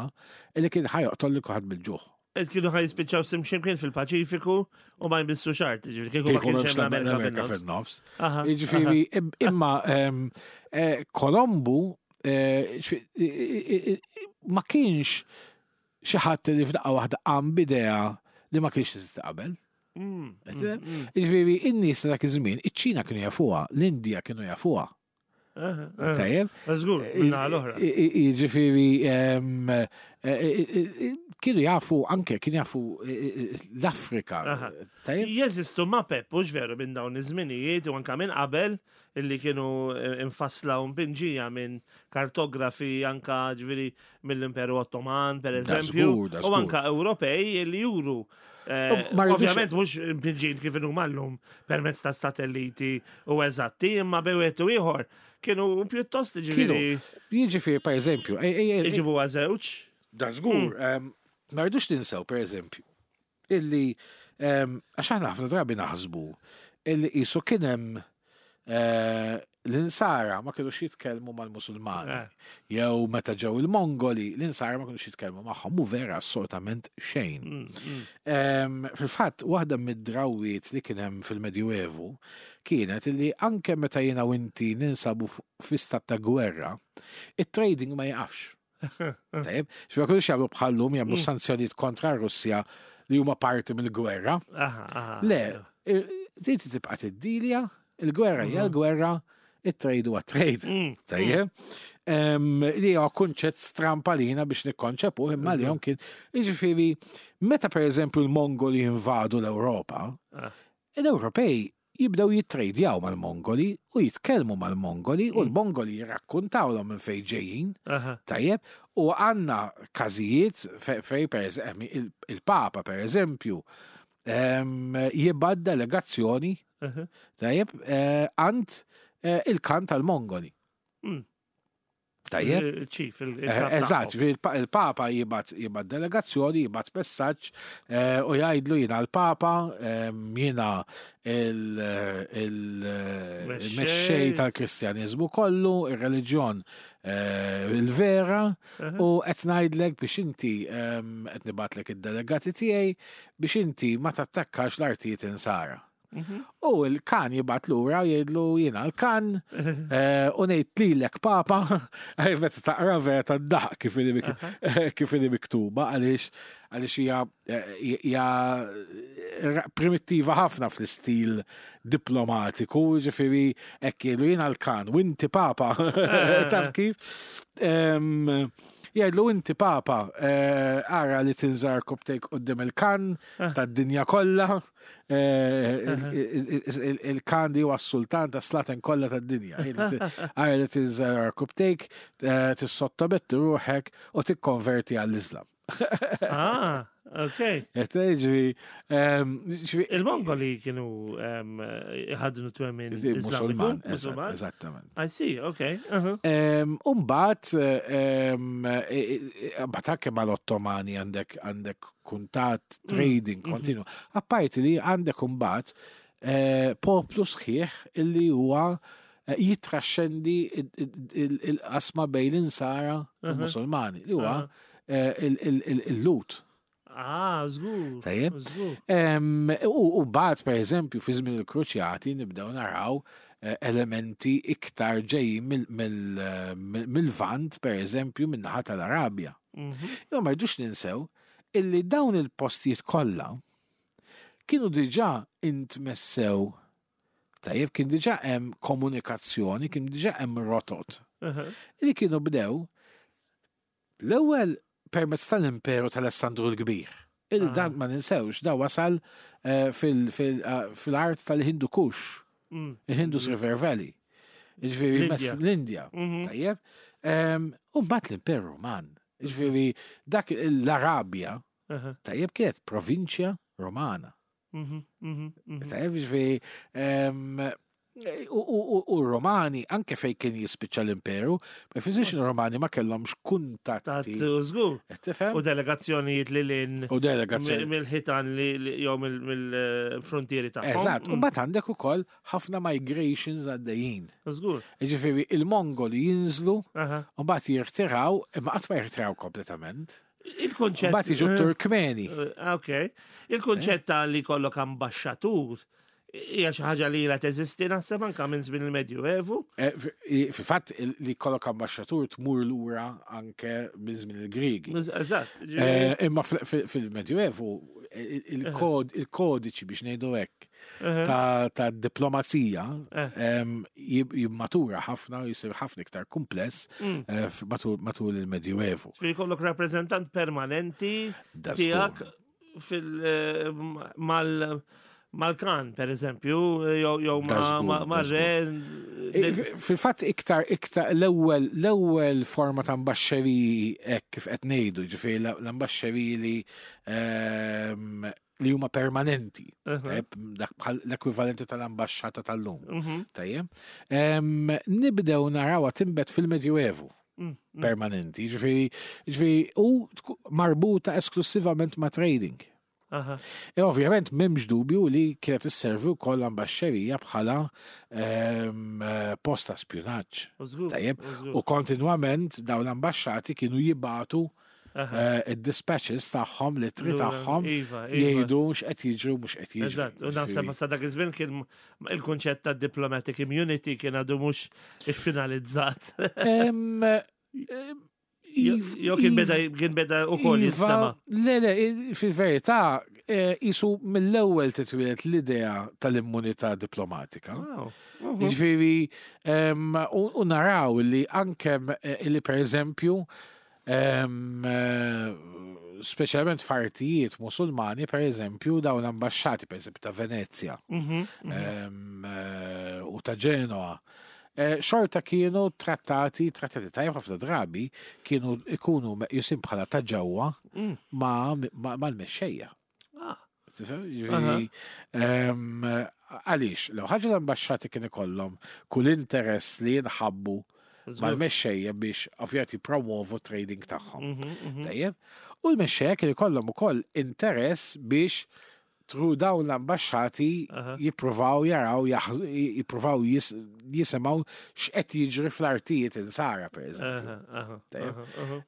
li kien ħa joqtol lil kulħadd bil-ġuħ. Et kienu ħa jispiċċaw ximkien fil-Paċifiku u ma jmissu xart, ġifieri kieku ma kienx hemm l-Amerika fin-nofs. Jiġifieri imma Kolombu ma kienx xi ħadd li f'daqqa waħda qam b'idea li ma kienx teżisti qabel. Jiġifieri in-nies ta' dak iż-żmien, iċ-Ċina kienu jafuha, l-Indja kienu jafuha. Tajjeb. Żgur, minnaħa l-oħra. Jiġifieri kienu jafu anke kienu jafu l-Afrika. Tajjeb. Jeżistu mapep, mhux veru minn dawn iż-żminijiet u anke minn qabel illi kienu infassla u mpinġija minn kartografi anka ġifieri mill-Imperu Ottoman, per eżempju, u anka Ewropej illi juru. Ovvjament mhux mpinġin kif inhuma llum permezz ta' satelliti u eżatti, imma bejn u ieħor kienu pjuttost ġifieri. Jiġifieri per eżempju, Iġibu żewġ. Da żgur, ma rridux ninsew per eżempju illi għax aħna ħafna drabi naħsbu illi qisu kien hemm l-insara ma kienux jitkellmu mal-Musulmani. Jew meta ġew il-Mongoli, l-insara ma kienux jitkellmu magħhom, mu vera assolutament xejn. Fil-fatt, waħda mid-drawiet li kien hemm fil-Medjuevu kienet illi anke meta jiena u inti ninsabu fi stat ta' gwerra, it-trading ma jaqafx. Tajjeb, x'ma kienux jagħmlu bħallum jagħmlu sanzjonijiet kontra r-Russja li huma parti mill-gwerra. Le, inti tibqa' tiddilja, il-gwerra hija l-gwerra, it-trade huwa trade. Tajjeb. Li huwa kunċett stramp għalina biex nikkonċepuh imma li kien. Jiġifieri, meta pereżempju l-Mongoli invadu l-Ewropa, l-Ewropej jibdew jittrejdjaw mal-Mongoli u jitkellmu mal-Mongoli u l-Mongoli jirrakkuntawlhom minn fejn ġejjin. Tajjeb, u għandna każijiet fej per il-Papa pereżempju jibgħat delegazzjoni tajjeb eh, għand eh, il-kan tal-Mongoli. Tajjeb. Il-ċif, eh, Eżatt, il-Papa jibgħat jibgħat delegazzjoni, jibgħat messaġġ eh, u jgħidlu jiena l-Papa, ehm, jiena il-mexxej tal-Kristjaniżmu kollu, ir-reliġjon eh, il-vera, u qed ngħidlek biex inti ehm, qed nibgħatlek id-delegati tiegħi biex inti ma tattakkax l-artijiet insara. Mhm. U l-kan jibgħat lura jgħidlu jiena l-kan eh, u ngħid lilek papa, meta taqra vera tad-daħq kif inhi miktuba għaliex għaliex hija eh, hija primittiva ħafna fl-istil diplomatiku, ġifieri hekk jgħidlu jiena l-kan u inti papa. Taf kif? Jgħidlu inti papa, eh, ara li tinżar koptejk qudiem il-kan tad-dinja kollha. Eh, il-kan li huwa s-sultan ta' slaten kollha tad-dinja. Għajr li tinżel kubtejk, eh, tissottometti ruħek u tikkonverti għall-Islam. Ah, ok. Ġifieri, ehm, Il-Mongoli kienu ehm, ħadnu twemmin Musulman, eżattament. I see, ok. Uh-huh. Umbat, ehm, e, e, e, bat anke mal-Ottomani għandek għandek kuntatt, mm. trading mm-hmm. kontinu. Apparti li għandek imbagħad eh, poplu sħiħ illi huwa eh, jitraxxendi il-qasma bejn l-insara u uh-huh. musulmani li huwa uh-huh. eh, il-lut. Ah, żgur. Tajjeb. U mbagħad pereżempju fi żmien il-Kruċjati nibdew naraw elementi iktar ġejjin mill-Vant, pereżempju, min-naħa tal-Arabja. Mhm. Imma ma rridux ninsew illi dawn il-postijiet kollha kienu diġà intmessew tajjeb kien diġà hemm komunikazzjoni, kien diġà hemm rotot. Li kienu bdew l-ewwel permezz tal-Imperu tal-Alessandru l-Kbir. Illi dan ma ninsewx, da wasal eh, eh, fil-art tal-Hindu Kush, il-Hindus River Valley. Ġifieri l-Indja. Mhm. Tajjeb. U mbagħad l-Imperu Roman. Ġifieri dak l-Arabja, tajjeb kienet provinċja Romana. Mhm, mhm, Tajjeb ġifieri U Romani, anke fej kien jispiċċa l-imperu, ma jfissirx Romani ma kellhomx kuntatti. Żgur. U delegazzjonijiet li lin. U delegazzjoni. Mill-ħitan li jew mill-frontieri tagħhom. Eżatt, u mbagħad għandek ukoll ħafna migrations għaddejjin. Żgur. Ġifieri il-Mongoli jinżlu, u mbagħad jirtiraw, imma qatt ma jirtiraw kompletament. Il-konċett. Mbagħad jiġu eh, Turkmeni. Eh, ok. Il-konċett ta' li kollok ambaxxatur hija xi ħaġa li ilha teżisti naħseb anke minn żmien il-Medjuevu. Eh, fil-fatt li kollok ambaxxatur tmur lura anke minn żmien il-Griegi. Eżatt. Imma fil-Medjuevu il-kodiċi biex ngħidu hekk ta' diplomazija eh. jimmatura ħafna u jisir ħafna iktar kumpless. eh, matul il-Medjuevu. Ġifieri jkollok rappreżentant permanenti tiegħek fil eh, mal mal-kan, per eżempju, jew ma' re. Fil-fatt iktar iktar l-ewwel l-ewwel forma ta' ambaxxeriji hekk kif qed ngħidu, ġifieri l-ambaxxeriji li ehm, li huma permanenti. Dak bħal l-ekwivalenti tal-ambaxxata tal-lum. Mhm. Tajjeb. Nibdew narawha timbet fil-Medjuevu. Mm, mm. Permanenti, ġifieri, ġifieri u marbuta esklusivament ma' trading. E ovvjament m'hemmx dubju li kienet isservi wkoll l-ambaxxerija bħala eh, post ta' spjunaġġ. Tajjeb, u kontinwament dawn l-ambaxxati kienu jibatu Eh, id-dispatches tagħhom, l-ittri tagħhom iva, iva. jgħidu x'qed jiġri u mhux qed jiġri. Eżatt, u naħseb sa dak iż-żmien kien il-kunċett ta' diplomatic immunity kien għadu mhux iffinalizzat. Jew kien beda kien beda ukoll iva, jinstema'. Le, le, fil-verità Isu mill-ewwel titwieled l-idea tal-immunità diplomatika. Jiġifieri u naraw li anke li pereżempju speċjalment f'artijiet Musulmani, per eżempju, dawn l-ambasċati, per eżempju, ta' Venezia u ta' Ġenoa, xorta kienu trattati, trattati tajjeb ħafna drabi, kienu ikunu meqjusin bħala ta' ġewwa mal-mexxejja. Tifhem? Jiġifieri, Għaliex, l ħaġa l-ambasċati kien ikollhom kull interess li jinħabbu mal-mexxejja biex ovvjament jippromovu trading tagħhom. Tajjeb? U l-mexxejja kien ikollhom ukoll interess biex through dawn l-ambasċati jippruvaw jaraw, jippruvaw jisimgħu x'qed jiġri fl-artijiet insara, per eżempju. Tajjeb?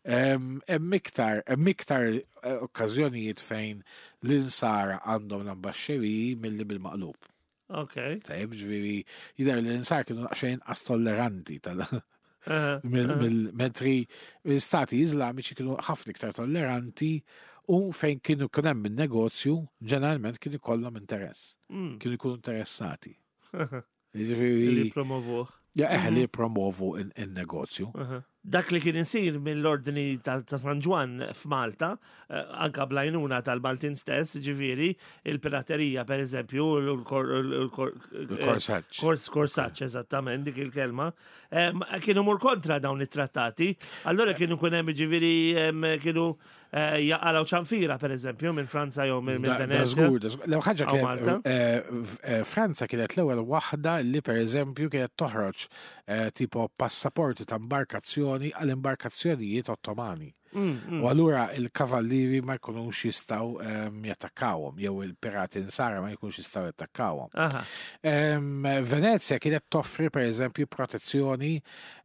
Hemm iktar, hemm iktar okkażjonijiet fejn l-insara għandhom l-ambaxxeriji milli bil-maqlub. Tajjeb, ġifieri, jidher li l-insara kienu daqsxejn inqas tolleranti tal mill-mentri l-istati Iżlamiċi kienu ħafna iktar tolleranti u fejn kienu kien hemm in-negozju, ġeneralment kien ikollhom interess. Kienu jkunu interessati. Jiġifieri Li promovuh. Ja, eħe li promovu in-negozju. Dak li kien isir mill-ordni ta' San Ġwann f'Malta, anka bl-għajnuna tal-Maltin stess, ġifieri, il-piraterija, per eżempju, Il-korsaġġ. Korsaġġ, eżattament, dik il-kelma, kienu mur kontra dawn it-trattati. Allora kienu kun hemm, ġifieri, kienu jaqalaw ċanfira, per eżempju, minn Franza jew minn Venezia. Żgur, da żgur. L-ewwel ħaġa Aw kienet, Malta. Franza kienet l-ewwel waħda li per eżempju kienet toħroġ tipo passaporti ta' imbarkazzjoni għal imbarkazzjonijiet Ottomani. U allura il-kavallieri ma jkunux jistgħu jattakkawhom, jew il-pirati insara ma jkunux jistgħu jattakkawhom. Venezia kienet toffri per eżempju protezzjoni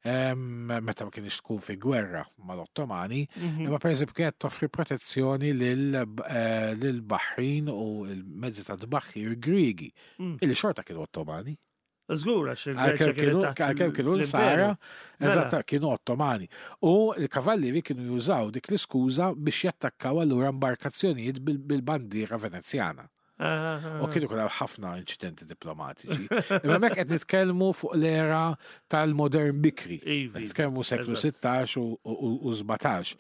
meta ma kienx tkun fi gwerra mal-Ottomani, imma per eżempju kienet toffri protezzjoni lil-Baħrin u l-mezzi ta' tbaħħir Griegi, illi xorta kienu Ottomani. Żgur, għax il-Greċja Għalkemm kienet taħt kienu l-imperu. l-Sara, Mela. eżatt, kienu Ottomani. U l-kavallieri kienu jużaw dik l-iskuża biex jattakkaw allura imbarkazzjonijiet bil-bandiera Venezjana. U kienu kien hemm ħafna inċidenti diplomatiċi. Imma hemmhekk qed nitkellmu fuq l-era tal-modern bikri. Ivi, Qed nitkellmu seklu 16 u 17.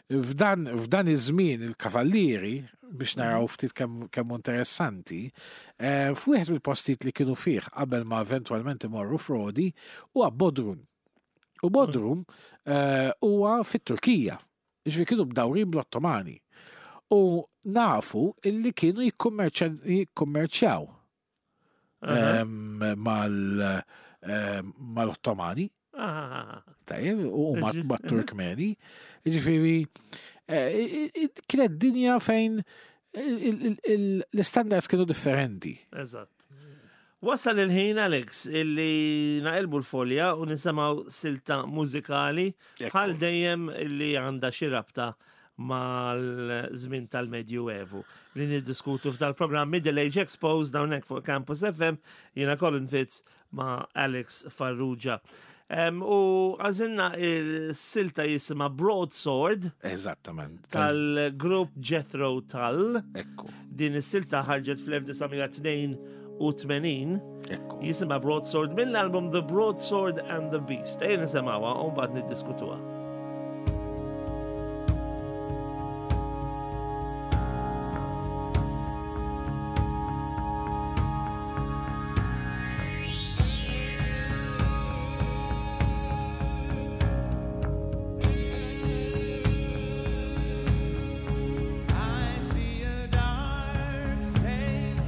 F'dan iż-żmien il-kavallieri, biex naraw ftit kemm interessanti, f'wieħed mill-postijiet li kienu fih qabel ma eventwalment imorru f'Rodi huwa Bodrum. U Bodrum huwa fit-Turkija. Jiġifieri kienu bdawrin bl-Ottomani. U nafu illi kienu jikkummerċjaw mal-Ottomani. Tajjeb, u mat-Turkmeni. Jiġifieri, kienet dinja fejn l-standards kienu differenti. Eżatt. Wasal il-ħin, Alex, illi naqilbu l-folja u nisimgħu silta mużikali bħal dejjem illi għandha xi rabta mal-żmien tal-Medju Evu li niddiskutu f'dal-programm Middle Age Exposed hawnhekk fuq Campus FM, jiena Colin Fitz ma' Alex Farrugia. U għażilna il-silta jisimha Broadsword. Eżattament. Tal-grupp Jethro Tull. Ekku. Din is-silta ħarġet fl-1982. Ekku. Jisimha Broadsword mill-album The Broadsword and the Beast. Ejja nisimgħuha u mbagħad niddiskutuha. I see a dark stain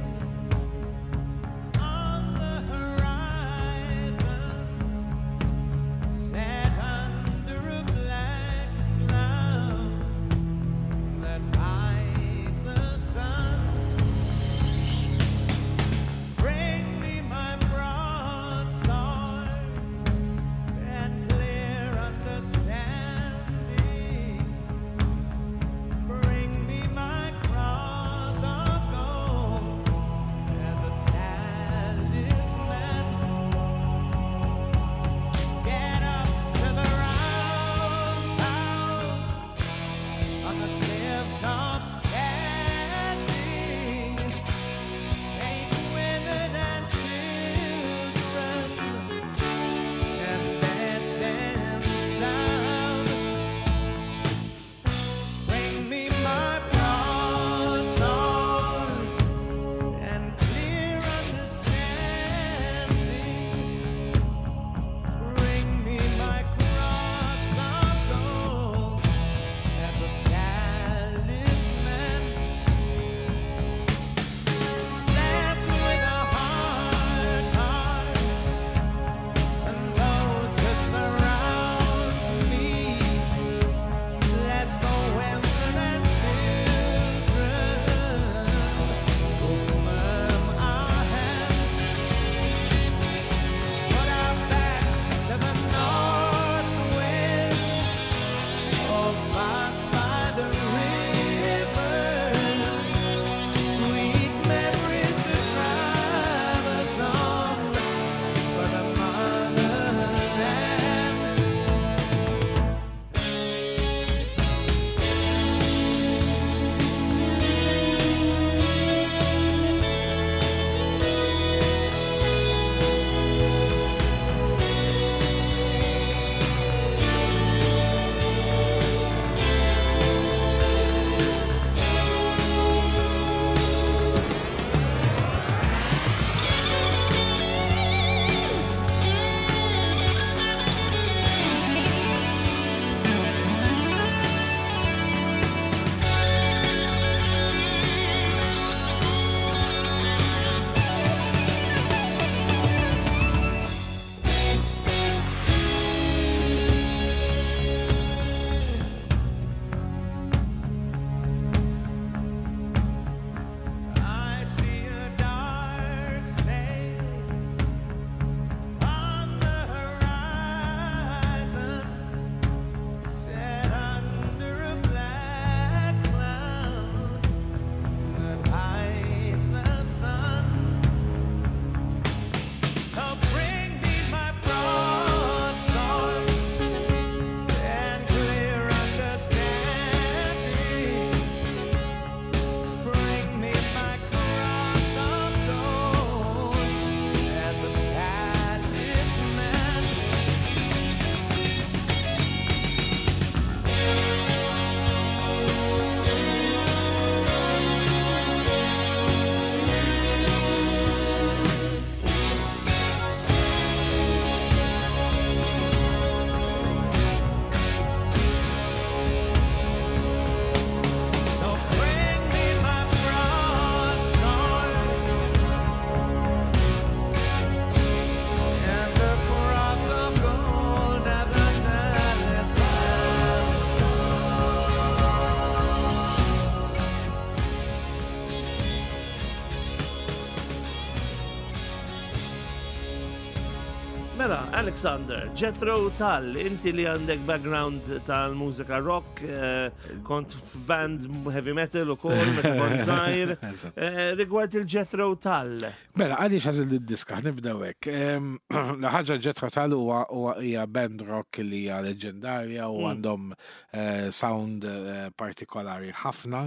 on the horizon, set under a Mela, Alexander, Jethro Tull, inti li għandek background tal-mużika rock, eh, kont f'band heavy metal u kol, meta kont żgħir. Eh, rigward il-Jethro Tull. Mela, għaliex għażil id-diska, nibdew hekk. La ħaġa Jethro Tull huwa hija band rock li hija leġendarja u mm. għandhom eh, sound partikolari ħafna.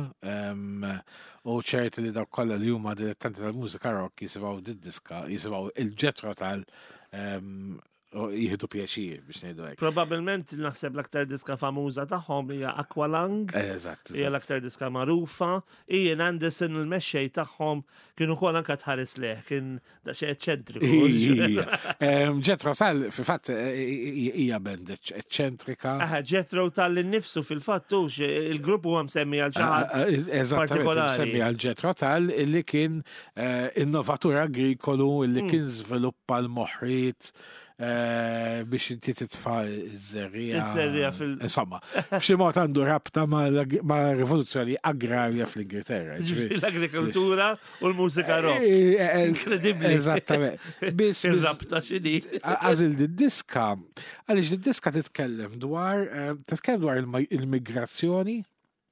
U ċert li dawk kollha li huma dilettanti tal-mużika rock jisimgħu did-diska, jisimgħu il-Jethro Tull u jieħdu pjaċir biex ngħidu hekk. Probabilment naħseb l-aktar diska famuża tagħhom hija Aqualung. Eżatt. Hija l-aktar diska magħrufa. Ian Anderson il-mexxej tagħhom kien ukoll anke tħares leh, kien daqsxejn eċċentriku. Jethro Tull fil-fatt hija band eċċentrika. Aha, Jethro Tull innifsu fil-fatt hux il-grupp huwa msemmi għal xi ħadd. Eżattament, msemmi għal Jethro Tull illi kien eh, innovatur agrikolu illi hmm. kien żviluppa l-moħriet eh, biex inti titfa' iż-żerriegħa. Iż-żerriegħa fil- Insomma, b'xi mod għandu rabta ma' rivoluzzjoni agrarja fl-Ingilterra. L-agrikoltura u l-mużika rock. Eh, Inkredibbli. Eżattament. Biss Ir-rabta x'inhi. Għażil di-diska, għaliex di-diska titkellem dwar titkellem dwar il-migrazzjoni,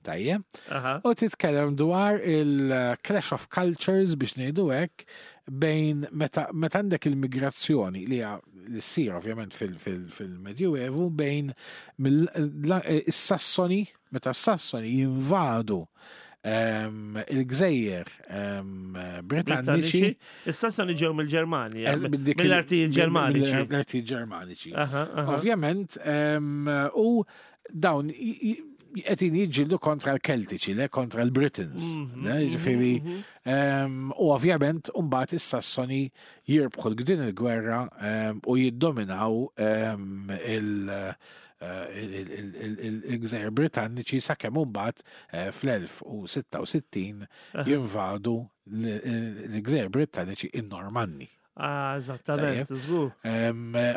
tajjeb, u titkellem dwar il-clash of cultures biex ngħidu hekk bejn meta għandek il-migrazzjoni li hija li ssir ovvjament fil-Medjuevu bejn is-Sassoni, meta s-Sassoni jinvadu il-gżejjer Britanniċi. Is-Sassoni ġew mill-Ġermanja, mill-artijiet Ġermaniċi. Mill-artijiet Ġermaniċi. Ovvjament, u dawn qegħdin jiġġieldu kontra l-Keltiċi, le kontra l-Britons. Mhm, le, ġifieri, mhm. ehm, u ovvjament mbagħad is-Sassoni jirbħu din il-gwerra ehm, u jiddominaw ehm, il- eh, il-gżejjer Britanniċi sakemm imbagħad eh, fl-1066 jinvadu l-gżejjer Britanniċi in-Normanni. Ah, eżattament, żgur.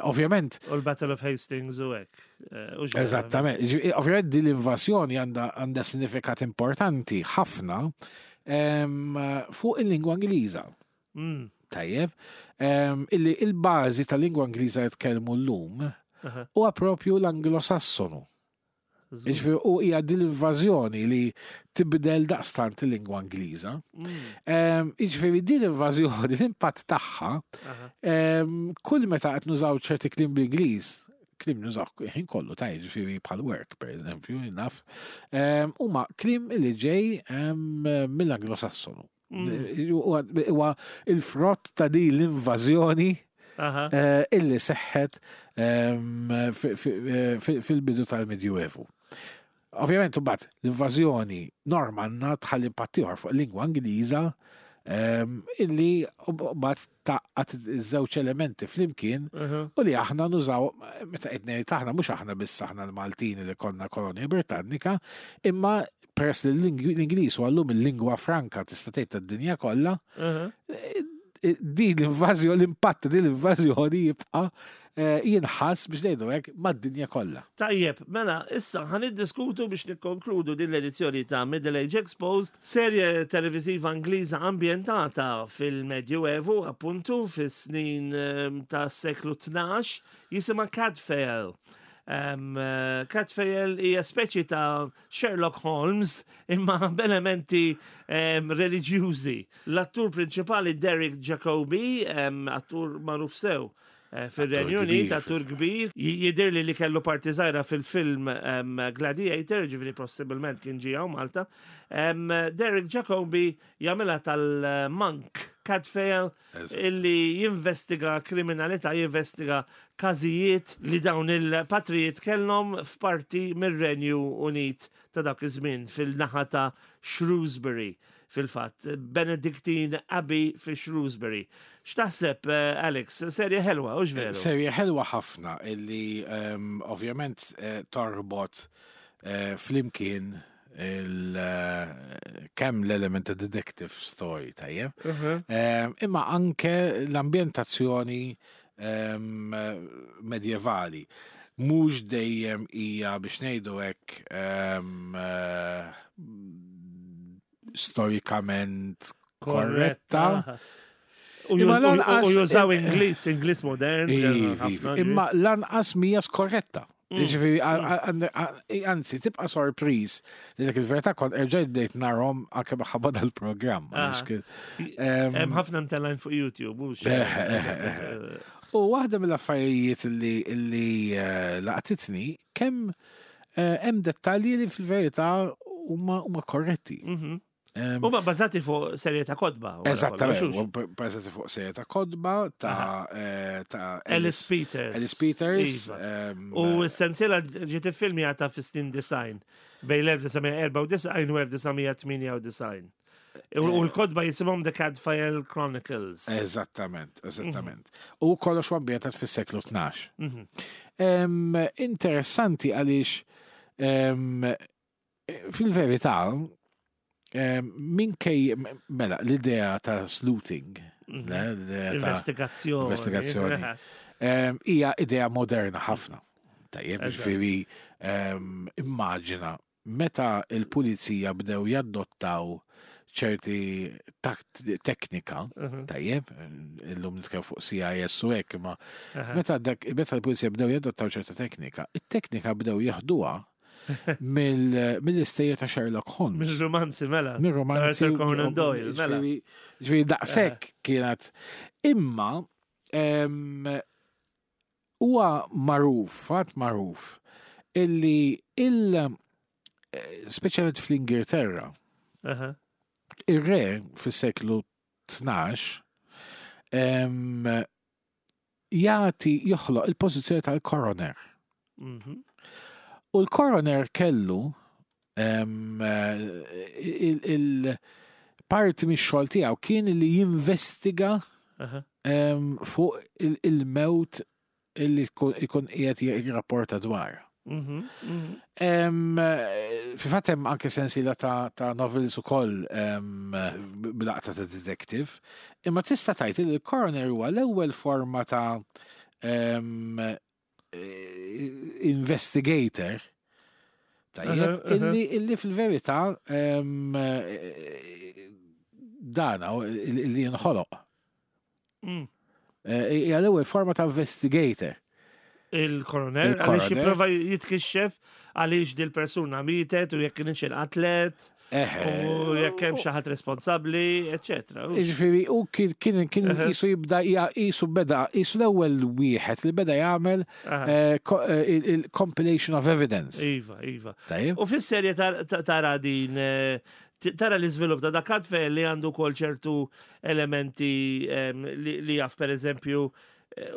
Ovvjament. U l-Battle of Hastings u hekk. Eh, eżattament. Ovvjament din l-invażjoni għandha sinifikat importanti ħafna fuq il-lingwa Ingliża. Tajjeb. Illi il-bażi tal-lingwa Ingliża li tkellmu llum huwa propju l-Anglo-Sassonu. Jiġifieri u hija din l-invażjoni li tibdel daqstant il-lingwa Ingliża. Mm. Jiġifieri din l-invażjoni, l-impatt tagħha, kull meta qed nużaw ċerti kliem bl-Ingliż, kliem nużaw ħin kollu ta' jiġifieri bħal work pereżempju, naf, huma kliem li ġej mill-Anglosassonu. Mm. Huwa il-frott ta' din l-invażjoni eh, illi seħħet ehm, eh, fil-bidu tal-Medjuevu. Ovvjament, imbagħad l-invażjoni Normanna tħalli impatt ieħor fuq il-lingwa Ingliża ehm, illi mbagħad taqqat iż-żewġ elementi flimkien u li aħna nużaw meta qed ngħid aħna mhux aħna biss aħna l-Maltin li konna kolonja Britannika, imma peress li l-Ingliż huwa llum il-lingwa franka tista' tgħid tad-dinja kollha, eh, eh, din l-invażjoni, l-impatt din l-invażjoni jibqa' eh, jinħass biex ngħidu hekk mad-dinja kollha. Tajjeb, mela, issa ħan iddiskutu biex nikkonkludu din l-edizzjoni ta' Middle Age Exposed, serje televiżiva Ingliża ambjentata fil-Medjuevu, appuntu fis-snin ta' seklu 12, jisimha Cadfael. Um, Cadfael hija speċi ta' Sherlock Holmes imma b'elementi um, reliġjużi. L-attur prinċipali Derek Jacobi, um, attur magħruf sew eh, fil-Renju Unit, attur kbir, jidir li li kellu parti żgħira fil-film um, Gladiator, ġifieri possibilment kien ġie Malta. Um, Derek Jacobi jagħmilha tal-Monk Cadfael illi jinvestiga kriminalità, jinvestiga każijiet li dawn il-patrijiet kellhom f'parti mir-Renju Unit ta' dak iż-żmien fil-naħa ta' Shrewsbury fil-fatt, Benedictine Abbey fi Shrewsbury. X'taħseb, eh, Alex? Serje ħelwa, hux veru? Serje ħelwa ħafna illi ehm, ovvjament eh, torbot eh, flimkien kemm l-element ta' detective story tajjeb, mhm. ehm, imma anke l-ambjentazzjoni ehm, medjevali. Mhux dejjem hija biex ngħidu hekk ehm, eh, storikament korretta. U jużaw Ingliż, Ingliż modern. Iva, iva. Imma lanqas mija skorretta. Ġifieri, anzi, tibqa' sorpriż li dak il-verità kont erġajt bdejt narhom anke minħabba dal-programm. Ah. Hemm ħafna mtellgħin fuq YouTube. Mhux. Eh, eh, eh, U waħda mill-affarijiet li laqtitni kemm hemm dettalji li fil-verità huma korretti. Mhm. Huma bbażati fuq serje ta' kotba. Eżattament, bbażati fuq serje ta' kotba ta' eh, ta' Alice Peters. Alice Peters. Iva. U s-sensiela ġiet iffilmjata fis-snin design bejn l-1994 u 1998. U l-kotba jisimhom The Cadfael Chronicles. Eżattament, eżattament. U kollox ambjentat fis-seklu 12. Interessanti għaliex Fil-verità, minkej, mela, l-idea ta' sleuthing, mhm. investigazzjoni, investigazzjoni, hija idea moderna ħafna. Tajjeb, ġifieri immaġina meta il-pulizija bdew jaddottaw ċerti teknika, mhm. tajjeb, illum nitkellem fuq CIS u hekk, imma meta l-pulizija bdew jadottaw ċerta teknika, it-teknika bdew jeħduha mill-istejjer ta' Sherlock Holmes. Mill-romanzi mela. Mill-romanzi. Arthur Conan Doyle, mela. Ġifieri daqshekk kienet. Imma huwa magħruf, fatt magħruf, illi il eh, speċjalment fl-Ingilterra, ir-re fis-seklu 12 jagħti joħloq il-pożizzjoni tal-coroner. Mhm. U l-coroner kellu il-parti mix-xogħol tiegħu kien li jinvestiga fuq il-mewt illi jkun qiegħed jirrapporta dwar. Mhm, mhm. Fi fatt hemm anke sensiela ta' novels ukoll b'laqta ta' detective, imma tista' tgħid li l-coroner huwa l-ewwel forma ta' investigator tajjeb illi, illi fil-verità dana illi jinħoloq. Eh, hija l-ewwel forma ta' investigator. Il-koroner, għaliex jipprova jitkixxef għaliex dil-persuna mietet u jekk kienx inqatlet. U jekk hemm xi ħadd responsabbli, eċetera. Jiġifieri u kien kien qisu jibda qisu beda qisu l-ewwel wieħed li beda jagħmel eh, eh, il-compilation of evidence. Iva, iva. U fis-serje tara din Tara l-iżvilupp ta' dak għadfel li għandu wkoll ċertu elementi li jaf pereżempju eh,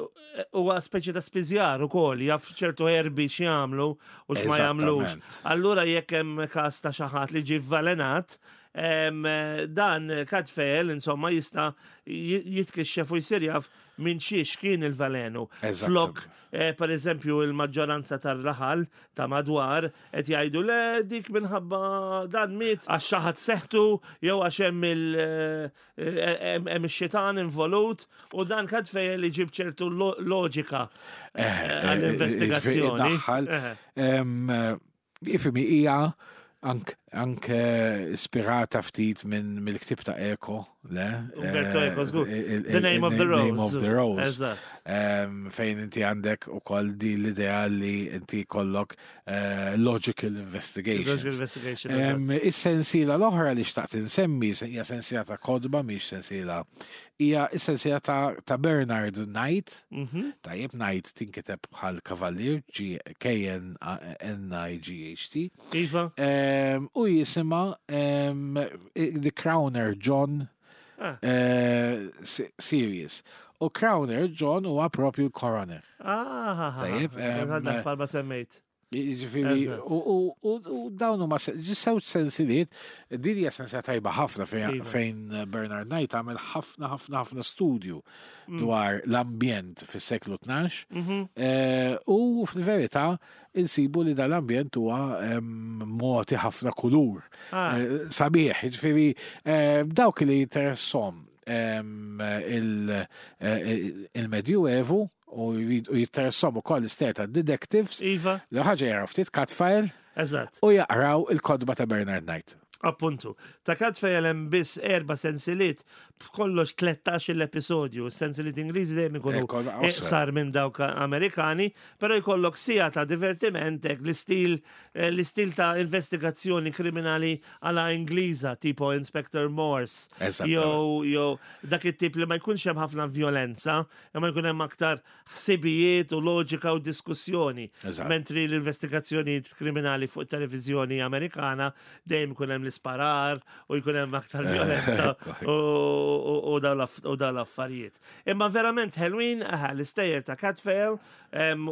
huwa speċi ta' spiżjar ukoll, jaf ċertu erbi x'jagħmlu u x'ma jagħmlux. Allura jekk hemm każ ta' xi ħadd li ġie vvalenat, dan kadfel insomma jista' jitkixxef u jsir jaf minn xiex kien il-valenu. Flok, eh, per eżempju, il-maġġoranza tar-raħal ta' madwar qed jgħidu le dik minħabba dan miet għax xi ħadd seħtu jew għax hemm il eh, hemm ix-xitan involut u dan kad fejn li ġib ċertu loġika eh, eh, għall-investigazzjoni. Ifimi hija anke ispirata ftit minn mill-ktib ta' Eko, le? Umberto eh, Eco, żgur. The Name of the Rose. Name of the Rose. Fejn inti għandek ukoll di l-idea li inti kollok eh, logical investigation. Logical investigation. Is-sensiela l-oħra li xtaqt insemmi hija sensiela ta' kodba mhix sensiela hija is-sensiela ta', ta Bernard Knight. Mm -hmm. Tajjeb Knight tinkiteb bħal kavallier G K N N I G H T. Iva. Um, u jisima um, The Crowner John ah. uh, Series. U Crowner John huwa propju coroner. Ah, Tajjeb. Um, palma semmejt. Jiġifieri, u dawn huma ġisew sensiliet, din hija sensija tajba ħafna iva. fejn Bernard Knight għamel ħafna ħafna ħafna studju mm. dwar l-ambjent fis-seklu 12. Mhm. Eh, u fil-verità insibu li dal-ambjent huwa mogħti ħafna kulur. Ah. Eh, sabiħ, jiġifieri eh, dawk li jinteressom il-Medjuevu u jitteressom ukoll l-istejjer ta' detectives. Iva. L ħaġa jaraw ftit Catfile. Eżatt. U jaqraw il-kodba ta' Bernard Knight. Appuntu. Ta' Cadfael hemm biss erba' sensiliet b'kollox 13-il episodju. Sensiliet Ingliżi dejjem ikunu iqsar minn dawk Amerikani, però jkollok siegħa ta' divertiment hekk l-istil eh, l-istil ta' investigazzjoni kriminali għala Ingliża, tipo Inspector Morse. Jew jew dak it-tip li ma jkunx hemm ħafna violenza, imma jkun hemm aktar ħsibijiet u loġika u diskussjoni. Mentri l-investigazzjonijiet kriminali fuq televizjoni Amerikana dejjem ikun hemm l-isparar u jkun hemm aktar violenza u dawn l-affarijiet. Imma verament ħelwin l-istejjer ta' Cadfael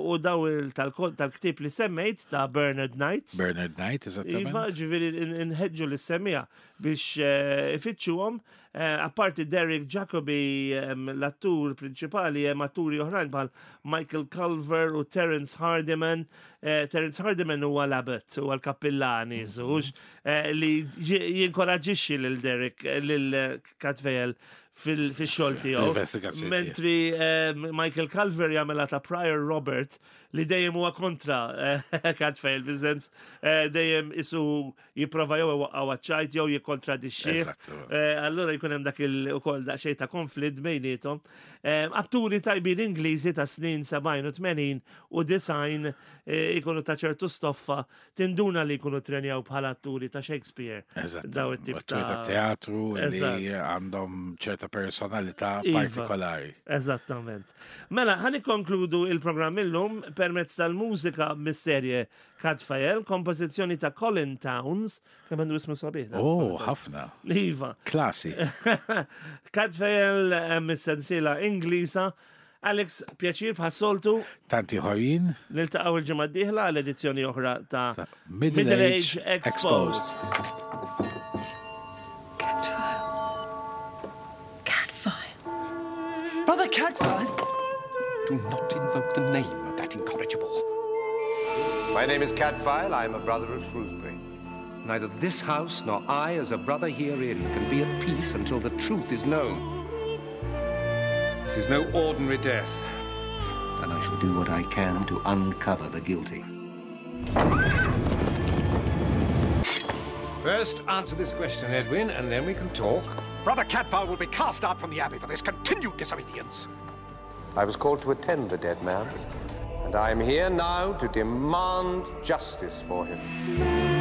u daw tal-ktieb li semmejt ta' Bernard Knight. Bernard Knight, eżattament. Iva, ġifieri nħeġġu l-semmija biex eh, ifittxuhom. Eh, apparti Derek Jacobi, l-attur prinċipali, hemm atturi oħrajn bħal Michael Culver u Terence Hardiman. Eh, Terence Hardiman huwa l-abbot, huwa l-kappillani, żux, li jinkoraġixxi lil Derek, lil Cadfael fil-xogħol tiegħu. Mentri Michael Culver jagħmilha ta' Prior Robert li dejjem huwa kontra Cadfael, fis-sens dejjem isu jipprova jew iwaqqgħu għaċ-ċajt jew jikkontradixxih. Eh, allura jkun hemm dak il-ukoll daqsxejn ta' konflitt bejniethom. Eh, atturi tajbin Ingliżi ta' snin 70 u 80 u design eh, ikunu ta' ċertu stoffa tinduna li jkunu trenjaw bħala atturi ta' Shakespeare. Eżatt. Daw it-tip ta' teatru li għandhom ċerta personalità iva. partikolari. Eżattament. Mela, ħan ikkonkludu il-programm illum permezz tal-mużika mis-serje Cadfael, kompożizzjoni ta' Colin Towns, kemm għandu ismu sabiħ. Oh, ħafna. Iva. Klasi. Cadfael eh, mis-sensiela Ingliża. Alex, pjaċir bħas-soltu. Tanti ħorin. Niltaqgħu il-ġimgħa d-dieħla għal edizzjoni oħra ta' Middle Age Exposed. Cadfael. Cadfael. Brother Cadfael. Do not invoke the name of that incorrigible. My name is Cadfael. I am a brother of Shrewsbury. Neither this house nor I, as a brother herein, can be at peace until the truth is known. This is no ordinary death. And I shall do what I can to uncover the guilty. First, answer this question, Edwin, and then we can talk. Brother Cadfael will be cast out from the Abbey for this continued disobedience. I was called to attend the dead man, and I am here now to demand justice for him.